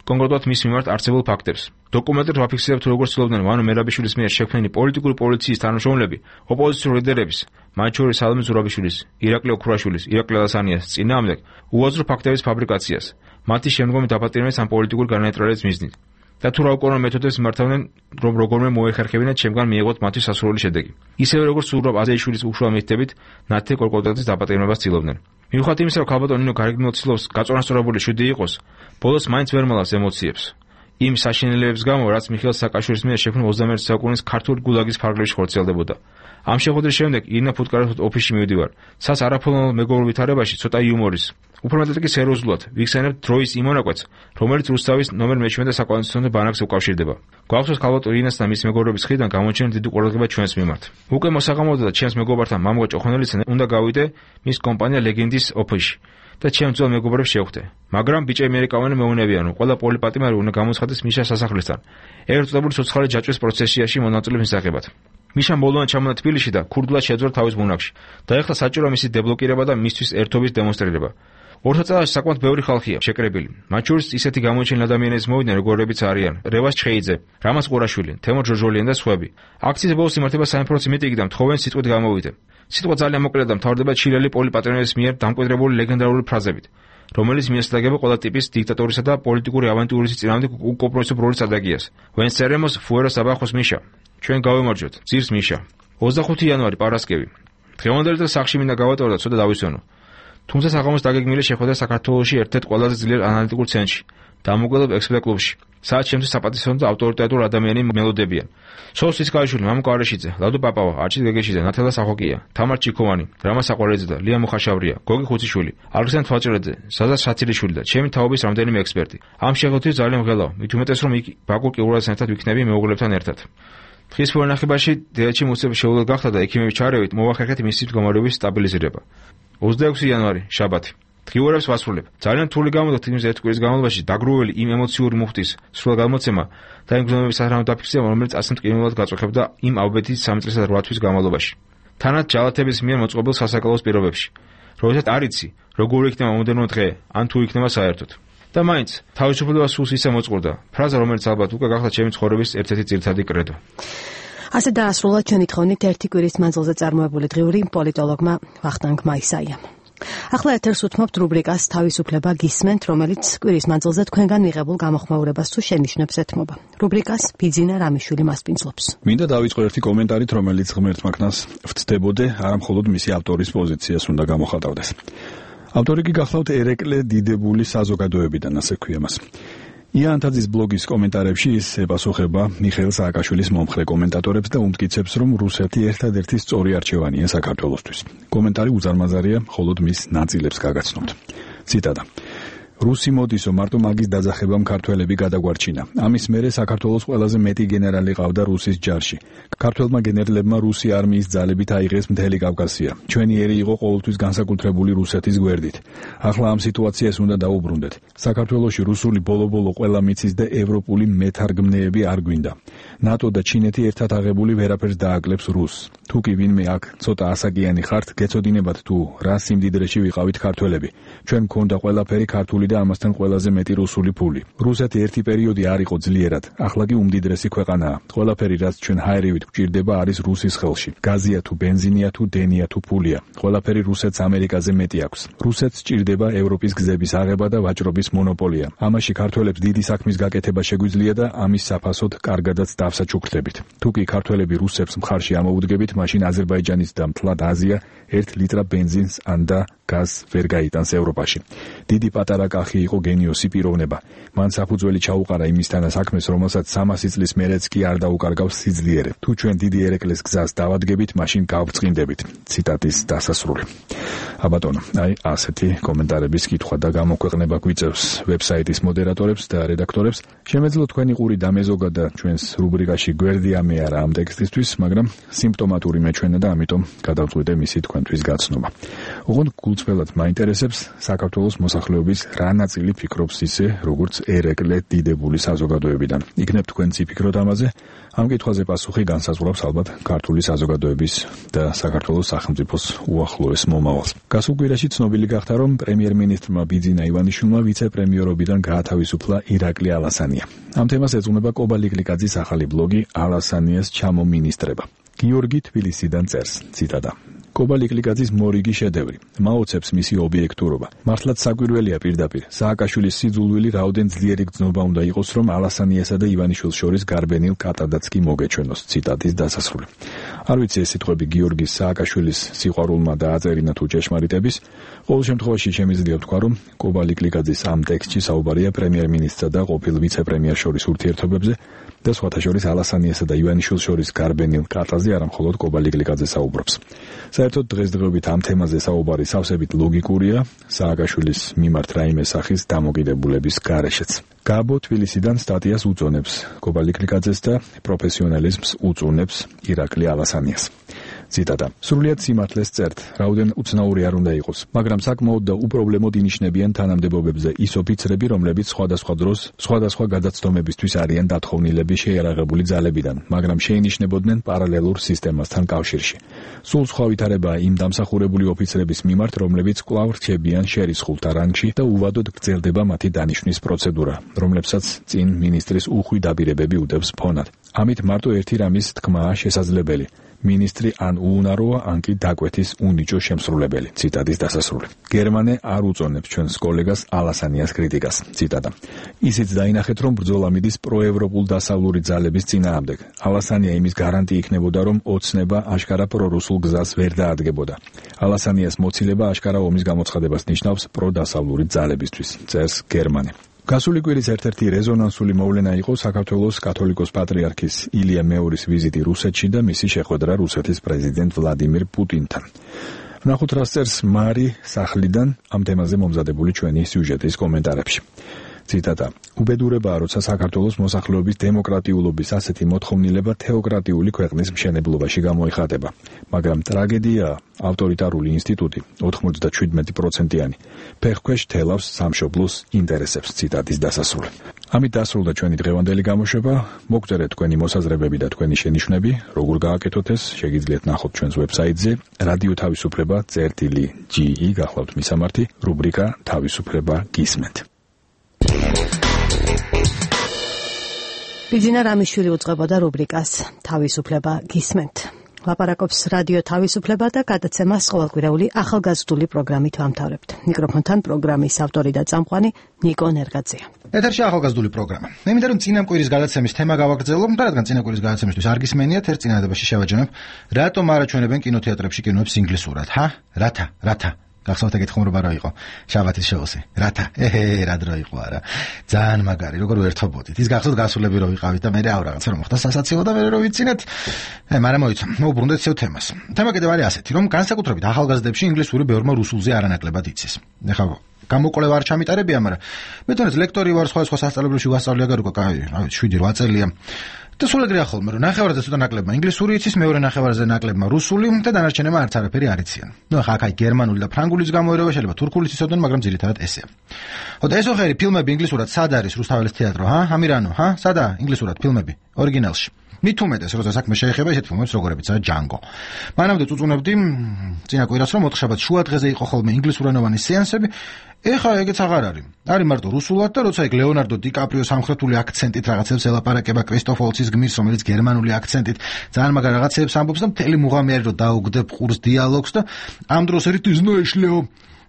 კონკრეტულად მის მიმართ არსებულ ფაქტებს. დოკუმენტებს ვაფიქსირებთ, როგორც ცდილობდნენ ვანო მერაბიშვილის მიერ შექმნილი პოლიტიკური პოლიციის თანამშრომლები, ოპოზიციურ ლიდერების, მათ შორის სალომე ზურაბიშვილის, ირაკლი ოქრაშვილის, ირაკლი ალასანიას წინააღმდეგ უაზრო ფაქტების ფაბრიკაციას, მათი შემდგომი დაპატიმრების ან პოლიტიკური განაეტრალების მიზნით. და თუ რა უკანონო მეთოდებს მიმართავდნენ, რომ როგორმე მოეხერხებინათ ჩემგან მიიღოთ მათთვის სასურველი შედეგი. ისევე როგორც ზურაბ აზეიშვილის უშუალო მითითებით, ნათე კორკოდაძის დაპატიმრებას ცდილობდნენ. მიუხედავად იმისა, რომ ქალბატონი ნინო გარეგნულად ცდილობს გაწონასწორებული შვიდი იყოს, ბოლოს მაინც ვერ მალავს ემოციებს. იმ საშინელებების გამო, რაც მიხეილ სააკაშვილის მიერ შექმნილ 21 საუკუნის ქართული გულაგის ფარგლებში ხორციელდებოდა. ამ შეხვედრის შემდეგ ირინა ფუტკარაძის ოფისში მივდივარ. სას არაფორმალურ მეგობრულ ვითარებაში ცოტა იუმორის. უფრო მეტად კი სერიოზულად ვიხსენებ დროის იმ მონაკვეთს, რომელიც რუსთავის ნომერ მე-17 საკონსტიტუციო ბანაკს უკავშირდება. გვახსოვს ქალბატონ ირინას და მის მეგობრების მხრიდან გამოჩენილი დიდი ყურადღება ჩვენს მიმართ. უკვე მოსაღამოდა და ჩემს მეგობართან მამუა ჭოხონელიძე უნდა გავიდე მის კომპანია ლეგენდის ოფისში და ჩემს ძველ მეგობრებს შევხვდე. მაგრამ ბიჭები ამერიკავანი მეუნებიან, რომ ყველა პოლიპატიმარი უნდა გამოცხადდეს მიშა სასახლესთან ერთწოდებული ცოცხალი ჯაჭვის პროცესიაში მონაწილეობის მისაღებად. მიშამ ბოლომდე ჩამონა თბილისში და ქურდულად შეძვრა თავის ბუნაგში. დაეხლა საჭიროა მისი დებლოკირება და მისთვის ერთობის დემონსტრირება. ორ წელიწადში საკმაოდ ბევრი ხალხია შეკრებილი. მათ შორის ისეთი გამოჩენილი ადამიანების მოვიდნენ, როგორებიც არიან რევას ჩხეიძე, რამაზ ყურაშვილი, თემურ ჯოჯოლიანი და სხვები. აქციის ბოლოს იმართება 3% მიტინგი და მთხოვენ სიტყვით გამოვიდნენ. სიტყვა ძალიან მოკლეა და მთავრდება ჩილელი პოლიპატრიონის მიერ დამკვიდრებული ლეგენდარული ფრაზებით, რომელიც მიესადაგება ყველა ტიპის დიქტატორისა და პოლიტიკური ავანტიურის წინააღმდეგ კომპრომისებრივ სტრატეგიას. ვენსერემოს ფუეროს აბახოს მიშა. ჩვენ გავემარჯვოთ, ძირს მიშა. 25 იანვარი პარასკევი. დღევანდელი დღე სახში მინდა გავატარო და ცოტა დავისვენო. თუმცა საღამოს დაგეგმილი შეხვედრა საქართველოში ერთ-ერთ ყველაზე ძლიერ ანალიტიკურ ცენტრში. დამოუკიდებლობ ექსპერტ კლუბში. სადაც შემთხვევით საპატისცემლო და ავტორიტეტულ ადამიანები მელოდებიან. სოუს ციცკარიშვილი, მამუკ არაშიძე, ლადო პაპავა, არჩილ გეგეშიძე, ნათელა სახოკია, თამარ ჩიქოვანი, რამა საყვარეძე და ლია მუხაშავრია, გოგი ხუციშვილი, ალექსანდრე თვალჭრეძე, საზა საცილიშვილი და ჩემი თაობის რამდენიმე ექსპერტი. ამ შეხვედრით ძალიან მღელავ, მით უმეტეს რომ იქ ბაკუ კიურაძესთან ერთად ვიქნები მეუღლებთან ერთად. დღის პორნახებაში დედაჩი მუსების შეუძლო გახდა და ექიმების ჩარევით მოვახერხეთ მისი მდგომარეობის სტაბილიზირება. 26 იანვარი, შაბათი. დღიურებს ვასრულებ. ძალიან რთული გამოდოთ იმ ერთ კვირის განმავლობაში დაგროვილი იმ ემოციური მუხტის სრულ გამოცემა და იმ გზნობების სათანადო დაფიქსირება, რომელიც ასე მტკივნეულად გაწუხებდა იმ ავბეთის 3 წლისა და 8 თვის განმავლობაში. თანაც ჯალათების მიერ მოწყობილ სასაკალოს პირობებში. როდესაც არ იცი, როგორ იქნება მომდევნო დღე, ან თუ იქნება საერთოდ. და მაინც თავისუფლება სულს ისე მოწყურდა. ფრაზა, რომელიც ალბათ უკვე გახდა ჩემი ცხოვრების ერთ-ერთი ძირითადი კრედო. ასე დაასრულა ჩვენი თხოვნით ერთი კვირის მანძილზე წარმოებული დღიური პოლიტოლოგმა ვახტანგ მაისაიამ. ახლა ეთერს უთმობთ რუბრიკას თავისუფლება გისმენთ, რომელიც კვირის მანძილზე თქვენგან მიღებულ გამოხმაურებას თუ შენიშვნებს ეთმობა. რუბრიკას ბიძინა რამიშვილი მასპინძლობს. მინდა დავიწყო ერთი კომენტარით, რომელიც ღმერთმა ქნას ვწდებოდე, არა მხოლოდ მისი ავტორის პოზიციას უნდა გამოხატავდეს. ავტორი კი გახლავთ ერეკლე დიდებული საზოგადოებიდან, ასე ქვია მას. იანთაძის ბლოგის კომენტარებში ის ეპასუხება მიხეილ სააკაშვილის მომხრე კომენტატორებს და უმტკიცებს, რომ რუსეთი ერთადერთი სწორი არჩევანია საქართველოსთვის. კომენტარი უზარმაზარია, მხოლოდ მის ნაწილებს გაგაცნობთ. ციტატა: რუსი მოდისო, მარტო მაგის დაძახებამ ქართველები გადაგვარჩინა. ამის მერე საქართველოს ყველაზე მეტი გენერალი ყავდა რუსის ჯარში. ქართველმა გენერლებმა რუსი არმიის ძალებით აიღეს მთელი კავკასია. ჩვენი ერი იყო ყოველთვის განსაკუთრებული რუსეთის გვერდით. ახლა ამ სიტუაციას უნდა დაუბრუნდეთ. საქართველოში რუსული ბოლო-ბოლო ყველა მიცის და ევროპული მეთარგმნეები არ გვინდა. ნატო და ჩინეთი ერთად აღებული ვერაფერს დააკლებს რუსს. თუ კი ვინმე აქ ცოტა ასაკიანი ხართ, გეცოდინებათ თუ რა სიმდიდრეში ვიყავით ქართველები. ჩვენ გქონდა ყველაფერი ქართული და ამასთან ყველაზე მეტი რუსული ფული. რუსეთი ერთი პერიოდი არ იყო ძლიერად, ახლა კი უმდიდრესი ქვეყანაა. ყველაფერი რაც ჩვენ ჰაერივით გვჭირდება არის რუსის ხელში. გაზია თუ ბენზინია თუ დენია თუ ფულია. ყველაფერი რუსეთს ამერიკაზე მეტი აქვს. რუსეთს ჭირდება ევროპის გზების აღება და ვაჭრობის მონოპოლია. ამაში ქართველებს დიდი საქმის გაკეთება შეგვიძლია და ამის საფასოდ კარგადაც დავსაჩუქრდებით. თუ კი ქართველები რუსებს მხარში ამოუდგებით, მაშინ აზერბაიჯანის და მთლად აზია 1 ლიტრა ბენზინს ან და გაზს ვერ გაიტანს ევროპაში. დიდი პატარა კახი იყო გენიოსი პიროვნება. მან საფუძველი ჩაუყარა იმისთანა საქმეს, რომელსაც 300 წლის მერეც კი არ დაუკარგავს სიძლიერე. თუ ჩვენ დიდი ერეკლეს გზას დავადგებით, მაშინ გავბრწყინდებით. ციტატის დასასრული. აბატონო, აი ასეთი კომენტარების კითხვა და გამოქვეყნება გვიწევს ვებსაიტის მოდერატორებს და რედაქტორებს. შემეძლო თქვენი ყური დამეზოგა და ჩვენს რუბრიკაში გვერდი ამეარა ამ ტექსტისთვის, მაგრამ სიმპტომატური მეჩვენა და ამიტომ გადავწყვიტე მისი თქვენთვის გაცნობა. ოღონდ გულწრფელად მაინტერესებს საქართველოს მოსახლეობის რა ნაწილი ფიქრობს ისე, როგორც ერეკლე დიდებული საზოგადოებიდან. იქნებ თქვენ ციფიქროთ ამაზე, ამ კითხვაზე პასუხი განსაზღვრავს ალბათ ქართული საზოგადოების და საქართველოს სახელმწიფოს უახლოეს მომავალს. გასულ კვირაში ცნობილი გახდა, რომ პრემიერ-მინისტრმა ბიძინა ივანიშვილმა ვიცე-პრემიერობიდან გაათავისუფლა ირაკლი ალასანია. ამ თემას ეძღვნება კობა ლიკლიკაძის ახალი ბლოგი ალასანიას ჩამომინისტრება. გიორგი თბილისიდან წერს, ციტატა: კობა ლიკლიკაძის მორიგი შედევრი. მაოცებს მისი ობიექტურობა. მართლაც საკვირველია პირდაპირ. სააკაშვილის სიძულვილი რაოდენ ძლიერი გრძნობა უნდა იყოს, რომ ალასანიასა და ივანიშვილს შორის გარბენილ კატადაც კი მოგეჩვენოს. ციტატის დასასრული. არ ვიცი ეს სიტყვები გიორგის სააკაშვილის სიყვარულმა დააწერინა თუ ჭეშმარიტების. ყოველ შემთხვევაში შემიძლია ვთქვა, რომ კობა ლიკლიკაძის ამ ტექსტში საუბარია პრემიერ-მინისტრსა და ყოფილ ვიცე-პრემიერს შორის ურთიერთობებზე და სხვათა შორის ალასანიასა და ივანიშვილს შორის გარბენილ კატაზე არა მხოლოდ კობა ლიკლიკაძე საუბრობს. საერთოდ დღესდღეობით ამ თემაზე საუბარი სავსებით ლოგიკურია, სააკაშვილის მიმართ რაიმე სახის დამოკიდებულების გარეშეც. გაბო თბილისიდან სტატიას უწონებს კობა ლიკლიკაძეს და პროფესიონალიზმს უწუნებს ირაკლი ალასანიას. ციტატა. სრულიად სიმართლეს წერთ, რაოდენ უცნაური არ უნდა იყოს, მაგრამ საკმაოდ და უპრობლემოდ ინიშნებიან თანამდებობებზე ის ოფიცრები, რომლებიც სხვადასხვა დროს სხვადასხვა გადაცდომებისთვის არიან დათხოვნილები შეიარაღებული ძალებიდან, მაგრამ შეინიშნებოდნენ პარალელურ სისტემასთან კავშირში. სულ სხვა ვითარებაა იმ დამსახურებული ოფიცრების მიმართ, რომლებიც კვლავ რჩებიან შერისხულთა რანგში და უვადოდ გრძელდება მათი დანიშვნის პროცედურა, რომლებსაც წინ მინისტრის უხვი დაბირებები უდევს ფონად. ამით მარტო ერთი რამის თქმაა შესაძლებელი. მინისტრი ან უუნაროა, ან კი დაკვეთის უნიჭო შემსრულებელი. ციტატის დასასრული. გერმანე არ უწონებს ჩვენს კოლეგას ალასანიას კრიტიკას. ციტატა. ისიც დაინახეთ, რომ ბრძოლა მიდის პროევროპულ დასავლური ძალების წინააღმდეგ. ალასანია იმის გარანტი იქნებოდა, რომ ოცნება აშკარა პრორუსულ გზას ვერ დაადგებოდა. ალასანიას მოცილება აშკარა ომის გამოცხადებას ნიშნავს პროდასავლური ძალებისთვის. წერს გერმანე. გასული კვირის ერთ-ერთი რეზონანსული მოვლენა იყო საქართველოს კათოლიკოს პატრიარქის ილია მეორის ვიზიტი რუსეთში და მისი შეხვედრა რუსეთის პრეზიდენტ ვლადიმირ პუტინთან. ვნახოთ რა წერს მარი სახლიდან ამ თემაზე მომზადებული ჩვენი სიუჟეტის კომენტარებში. ციტატა. უბედურებაა, როცა საქართველოს მოსახლეობის დემოკრატიულობის ასეთი მოთხოვნილება თეოკრატიული ქვეყნის მშენებლობაში გამოიხატება. მაგრამ ტრაგედიაა, ავტორიტარული ინსტიტუტი 97%-იანი ფეხქვეშ თელავს სამშობლოს ინტერესებს. ციტატის დასასრული. ამით დასრულდა ჩვენი დღევანდელი გამოშვება. მოგწერეთ თქვენი მოსაზრებები და თქვენი შენიშვნები, როგორ გააკეთოთ ეს, შეგიძლიათ ნახოთ ჩვენს ვებსაიტზე რადიო თავისუფლება.ge გახლავთ მისამართი, რუბრიკა თავისუფლება გისმენთ. ბიძინა რამიშვილი უძღვებოდა რუბრიკას თავისუფლება გისმენთ. ლაპარაკობს რადიო თავისუფლება და გადაცემას ყოველკვირეული ახალგაზრდული პროგრამით ვამთავრებთ. მიკროფონთან პროგრამის ავტორი და წამყვანი ნიკო ნერგაძეა. ეთერში ახალგაზრდული პროგრამა. მე მინდა რომ წინა კვირის გადაცემის თემა გავაგრძელო, და რადგან წინა კვირის გადაცემისთვის არ გისმენიათ, ერთ წინადადებაში შევაჯამებ, რატომ არ აჩვენებენ კინოთეატრებში კინოებს ინგლისურად, რათა? გახსოვთ ეგეთი ხუმრობა რა იყო? შაბათის შოუსი. რათა? რა დრო იყო არა. ძალიან მაგარი, როგორ ვერთობოდით. ის გახსოვთ გასულები რო ვიყავით და მე აუ რაღაცა რომ მოხდა სასაცილო და მე რო ვიცინეთ. მაგრამ მოიცა. უბრუნდეთ ცევ თემას. თემა კიდევ არის ასეთი, რომ განსაკუთრებით ახალგაზრდებში ინგლისური ბევრმა რუსულზე არანაკლებად იცის. ეხლა გამოკვლევა არ ჩამიტარებია, მაგრამ მე თვითონ ლექტორი ვარ სხვა სასწავლებელში ვასწავლია გარკვეულ, 7-8 წელია. და სულ ეგრეა ხოლმე, რომ ნახევარზე ცოტა ნაკლებმა ინგლისური იცის, მეორე ნახევარზე ნაკლებმა რუსული და დანარჩენებმა არც არაფერი არ იციან. ახლა აქ გერმანული და ფრანგულის გამოერევა შეიძლება თურქულიც იცოდნენ, მაგრამ ძირითადად ესეა. ეს ოხერი ფილმები ინგლისურად სად არის რუსთაველის თეატრო, ამირანო, სადაა ინგლისურად ფილმები ორიგინალში? მით უმეტეს, როცა საქმე შეეხება ისეთ ფილმებს, როგორებიცაა ჯანგო. მანამდე წუწუნებდი წინა კვირას, რომ ოთხშაბათს შუა დღეზე იყო ხოლმე ინგლისურენოვანი სეანსები. ეხლა ეგეც აღარ არის. არის მარტო რუსულად და როცა ეგ ლეონარდო დიკაპრიო სამხრეთული აქცენტით რაღაცებს ელაპარაკება კრისტოფ ვოლცის გმირს, რომელიც გერმანული აქცენტით ძალიან მაგარ რაღაცებს ამბობს და მთელი მუღამი არის, რომ დაუგდებ ყურს დიალოგს და ამ დროს ერთი ზნოეშლეო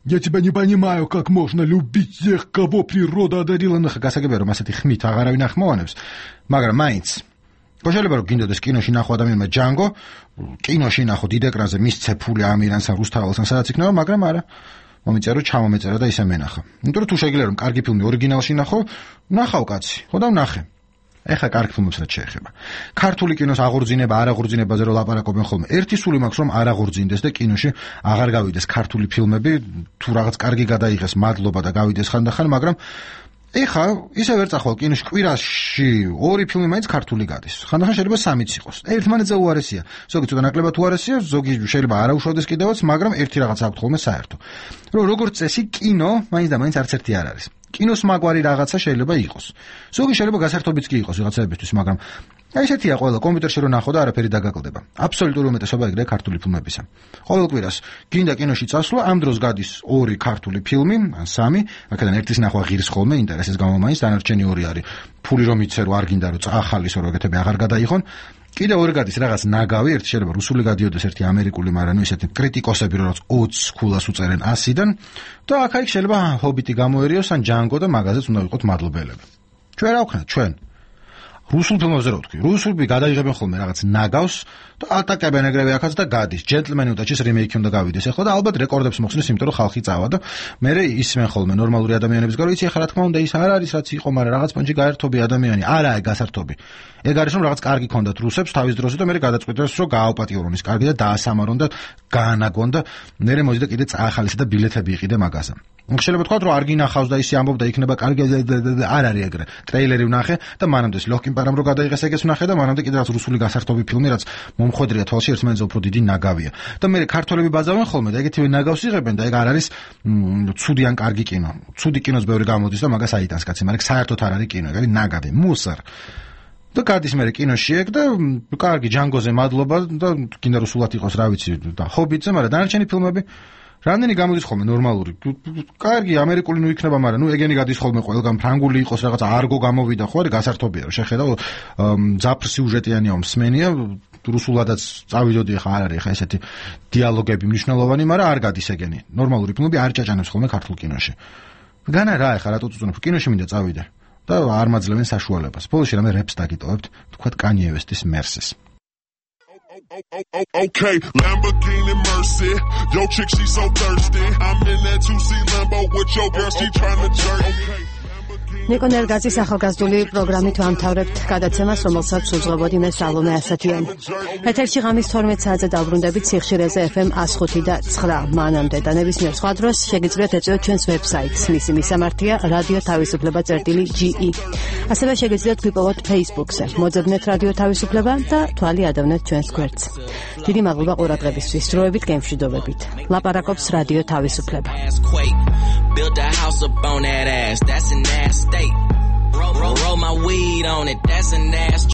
Я тебя не понимаю, как можно любить тех, кого природа одарила. ნახა გასაგებია, რომ ასეთი ხმით აღარავინ ახმოვანებს, მაგრამ მაინც შეიძლება რომ გინდოდეს კინოში ნახო ადამიანმა ჯანგო, კინოში ნახო დიდ ეკრანზე მისცე ფული ამირანს ან რუსთაველს ან სადაც იქნება, მაგრამ არა. მომიწერო ჩამომეწერა და ისე მენახა. იმიტომ რომ თუ შეგიძლია რომ კარგი ფილმი ორიგინალში ნახო, ნახავ კაცი, ხო და ვნახე. ეხლა კარგი ფილმებს რაც შეეხება. ქართული კინოს აღორძინება, არ აღორძინებაზე რომ ლაპარაკობენ ხოლმე. ერთი სული მაქვს რომ არ აღორძინდეს და კინოში აღარ გავიდეს ქართული ფილმები, თუ რაღაც კარგი გადაიღეს, მადლობა და გავიდეს ხანდახან, მაგრამ ეხლა ისე ვერ წახვალ კინოში კვირაში 2 ფილმი მაინც ქართული გადის. ხანდახან შეიძლება 3-იც იყოს. ერთმანეთზე უარესია. ზოგი ცოტა ნაკლებად უარესია, ზოგი შეიძლება არ აუშვადეს კიდევაც, მაგრამ ერთი რაღაც აქვს ხოლმე საერთო. რომ როგორც წესი კინო მაინც და მაინც არც ერთი არ არის. კინოს მაგვარი რაღაცა შეიძლება იყოს. ზოგი შეიძლება გასართობიც კი იყოს ვიღაცაებისთვის, მაგრამ აი ესეთია ყველა კომპიუტერში რო ნახო და არაფერი დაგაკლდება. აბსოლუტური უმეტესობა ეგრეა ქართული ფილმებისა. ყოველ კვირას გინდა კინოში წასვლა, ამ დროს გადის 2 ქართული ფილმი, ან 3, აქედან ერთის ნახვა ღირს ხოლმე ინტერესის გამო მაინც, დანარჩენი 2 არის ფული რომ იცე რო არ გინდა რომ წახალის რო ეგეთები აღარ გადაიხონ. კიდევ 2 გადის რაღაც ნაგავი, ერთი შეიძლება რუსული გადიოდეს, ერთი ამერიკული, მაგრამ ნუ ისეთი კრიტიკოსები რო 20 ქულას უწერენ 100-დან და აქ-იქ შეიძლება ჰობიტი გამოერიოს ან ჯანგო და მაგაზეც უნდა ვიყოთ მადლობელები. ჩვენ რა ვქნათ, ჩვენ რუსულ ფილმებზე რო ვთქვი, რუსულები გადაიღებენ ხოლმე რაღაც ნაგავს და ატაკებენ ეგრევე ახაც და გადის. ჯენტლმენი უდაჩის რიმეიკი უნდა გავიდეს ახლა და ალბათ რეკორდებს მოხსნის, იმიტომ რომ ხალხი წავა და მე ისმენ ხოლმე ნორმალური ადამიანების გარო, იცი ახლა რა თქმა უნდა ის არ არის რაც იყო, მაგრამ რაღაც პონჩი გაერთობი ადამიანი, არა ეგ გასართობი. ეგ არის რომ რაღაც კარგი ქონდათ რუსებს თავის დროზე და მე გადაწყვიტეს რომ გააუპატიურონ ის კარგი და დაასამარონ და გაანაგონ და მე მოდი და კიდე წაახალისე და ბილეთები იყიდე მაგაზე. შეიძლება თქვა რომ არ გინახავს და ისე ამბობდა იქნება კარგი არ არის ეგრე. ტრეილერი ვნახე და მანამდე ლოჰკინ პარამ რო გადაიღეს ეგეც ვნახე და მანამდე კიდევ რაც რუსული გასართობი ფილმი რაც მომხვედრია თვალში ერთმანეთზე უფრო დიდი ნაგავია. და მე ქართველები ბაზავენ ხოლმე და ეგეთივე ნაგავს იღებენ და ეგ არ არის ცუდი ან კარგი კინო. ცუდი კინოს ბევრი გამოდის და მაგას აიტანს კაცი, მაგრამ საერთოდ არ არის კინო, ეგ არის ნაგავი, მუსარ. და გადის მე კინოში ეგ და კარგი ჯანგოზე მადლობა და კიდე რუსულად იყოს რა ვიცი და ჰობიტზე, მაგრამ დანარჩენი ფილმები რამდენი გამოდის ხოლმე ნორმალური. კარგი ამერიკული ნუ იქნება, მაგრამ ეგენი გადის ხოლმე ყველგან ფრანგული იყოს რაღაცა არგო გამოვიდა ხო არის გასართობია რომ შეხედა ძაფრ სიუჟეტიანია მსმენია რუსულადაც წავიდოდი ხა არ არის ხა ესეთი დიალოგები მნიშვნელოვანი, მაგრამ არ გადის ეგენი. ნორმალური ფილმები არ ჭაჭანებს ხოლმე ქართულ კინოში. განა რა ეხა რატო წუწუნებ კინოში მინდა წავიდე და არ მაძლევენ საშუალებას. ბოლოში რამე რეპს დაგიტოვებთ, თქვათ კანიე ვესტის მერსის. Okay, Lamborghini Mercy. Yo chick, she so thirsty. I'm in that 2C Lambo with your girl, she tryna jerk. Okay. ნიკონ ერგაძის ახალგაზრდული პროგრამით ვამთავრებთ გადაცემას, რომელსაც უძღვებოდი მე სალომე ასათიანი. ეთერში ღამის 12 საათზე დავბრუნდებით სიხშირეზე FM 105.9 მანამდე და ნებისმიერ სხვა დროს შეგიძლიათ ეწვიოთ ჩვენს ვებსაიტს. მისი მისამართია რადიო თავისუფლება.ge. ასევე შეგიძლიათ გვიპოვოთ Facebook-ზე. მოძებნეთ რადიო თავისუფლება და თვალი ადევნეთ ჩვენს გვერდს. დიდი მადლობა ყურადღებისთვის. დროებით გემშვიდობებით. ლაპარაკობს რადიო თავისუფლება. Build a house up on that ass, that's an ass state. Roll my weed on it, that's an ass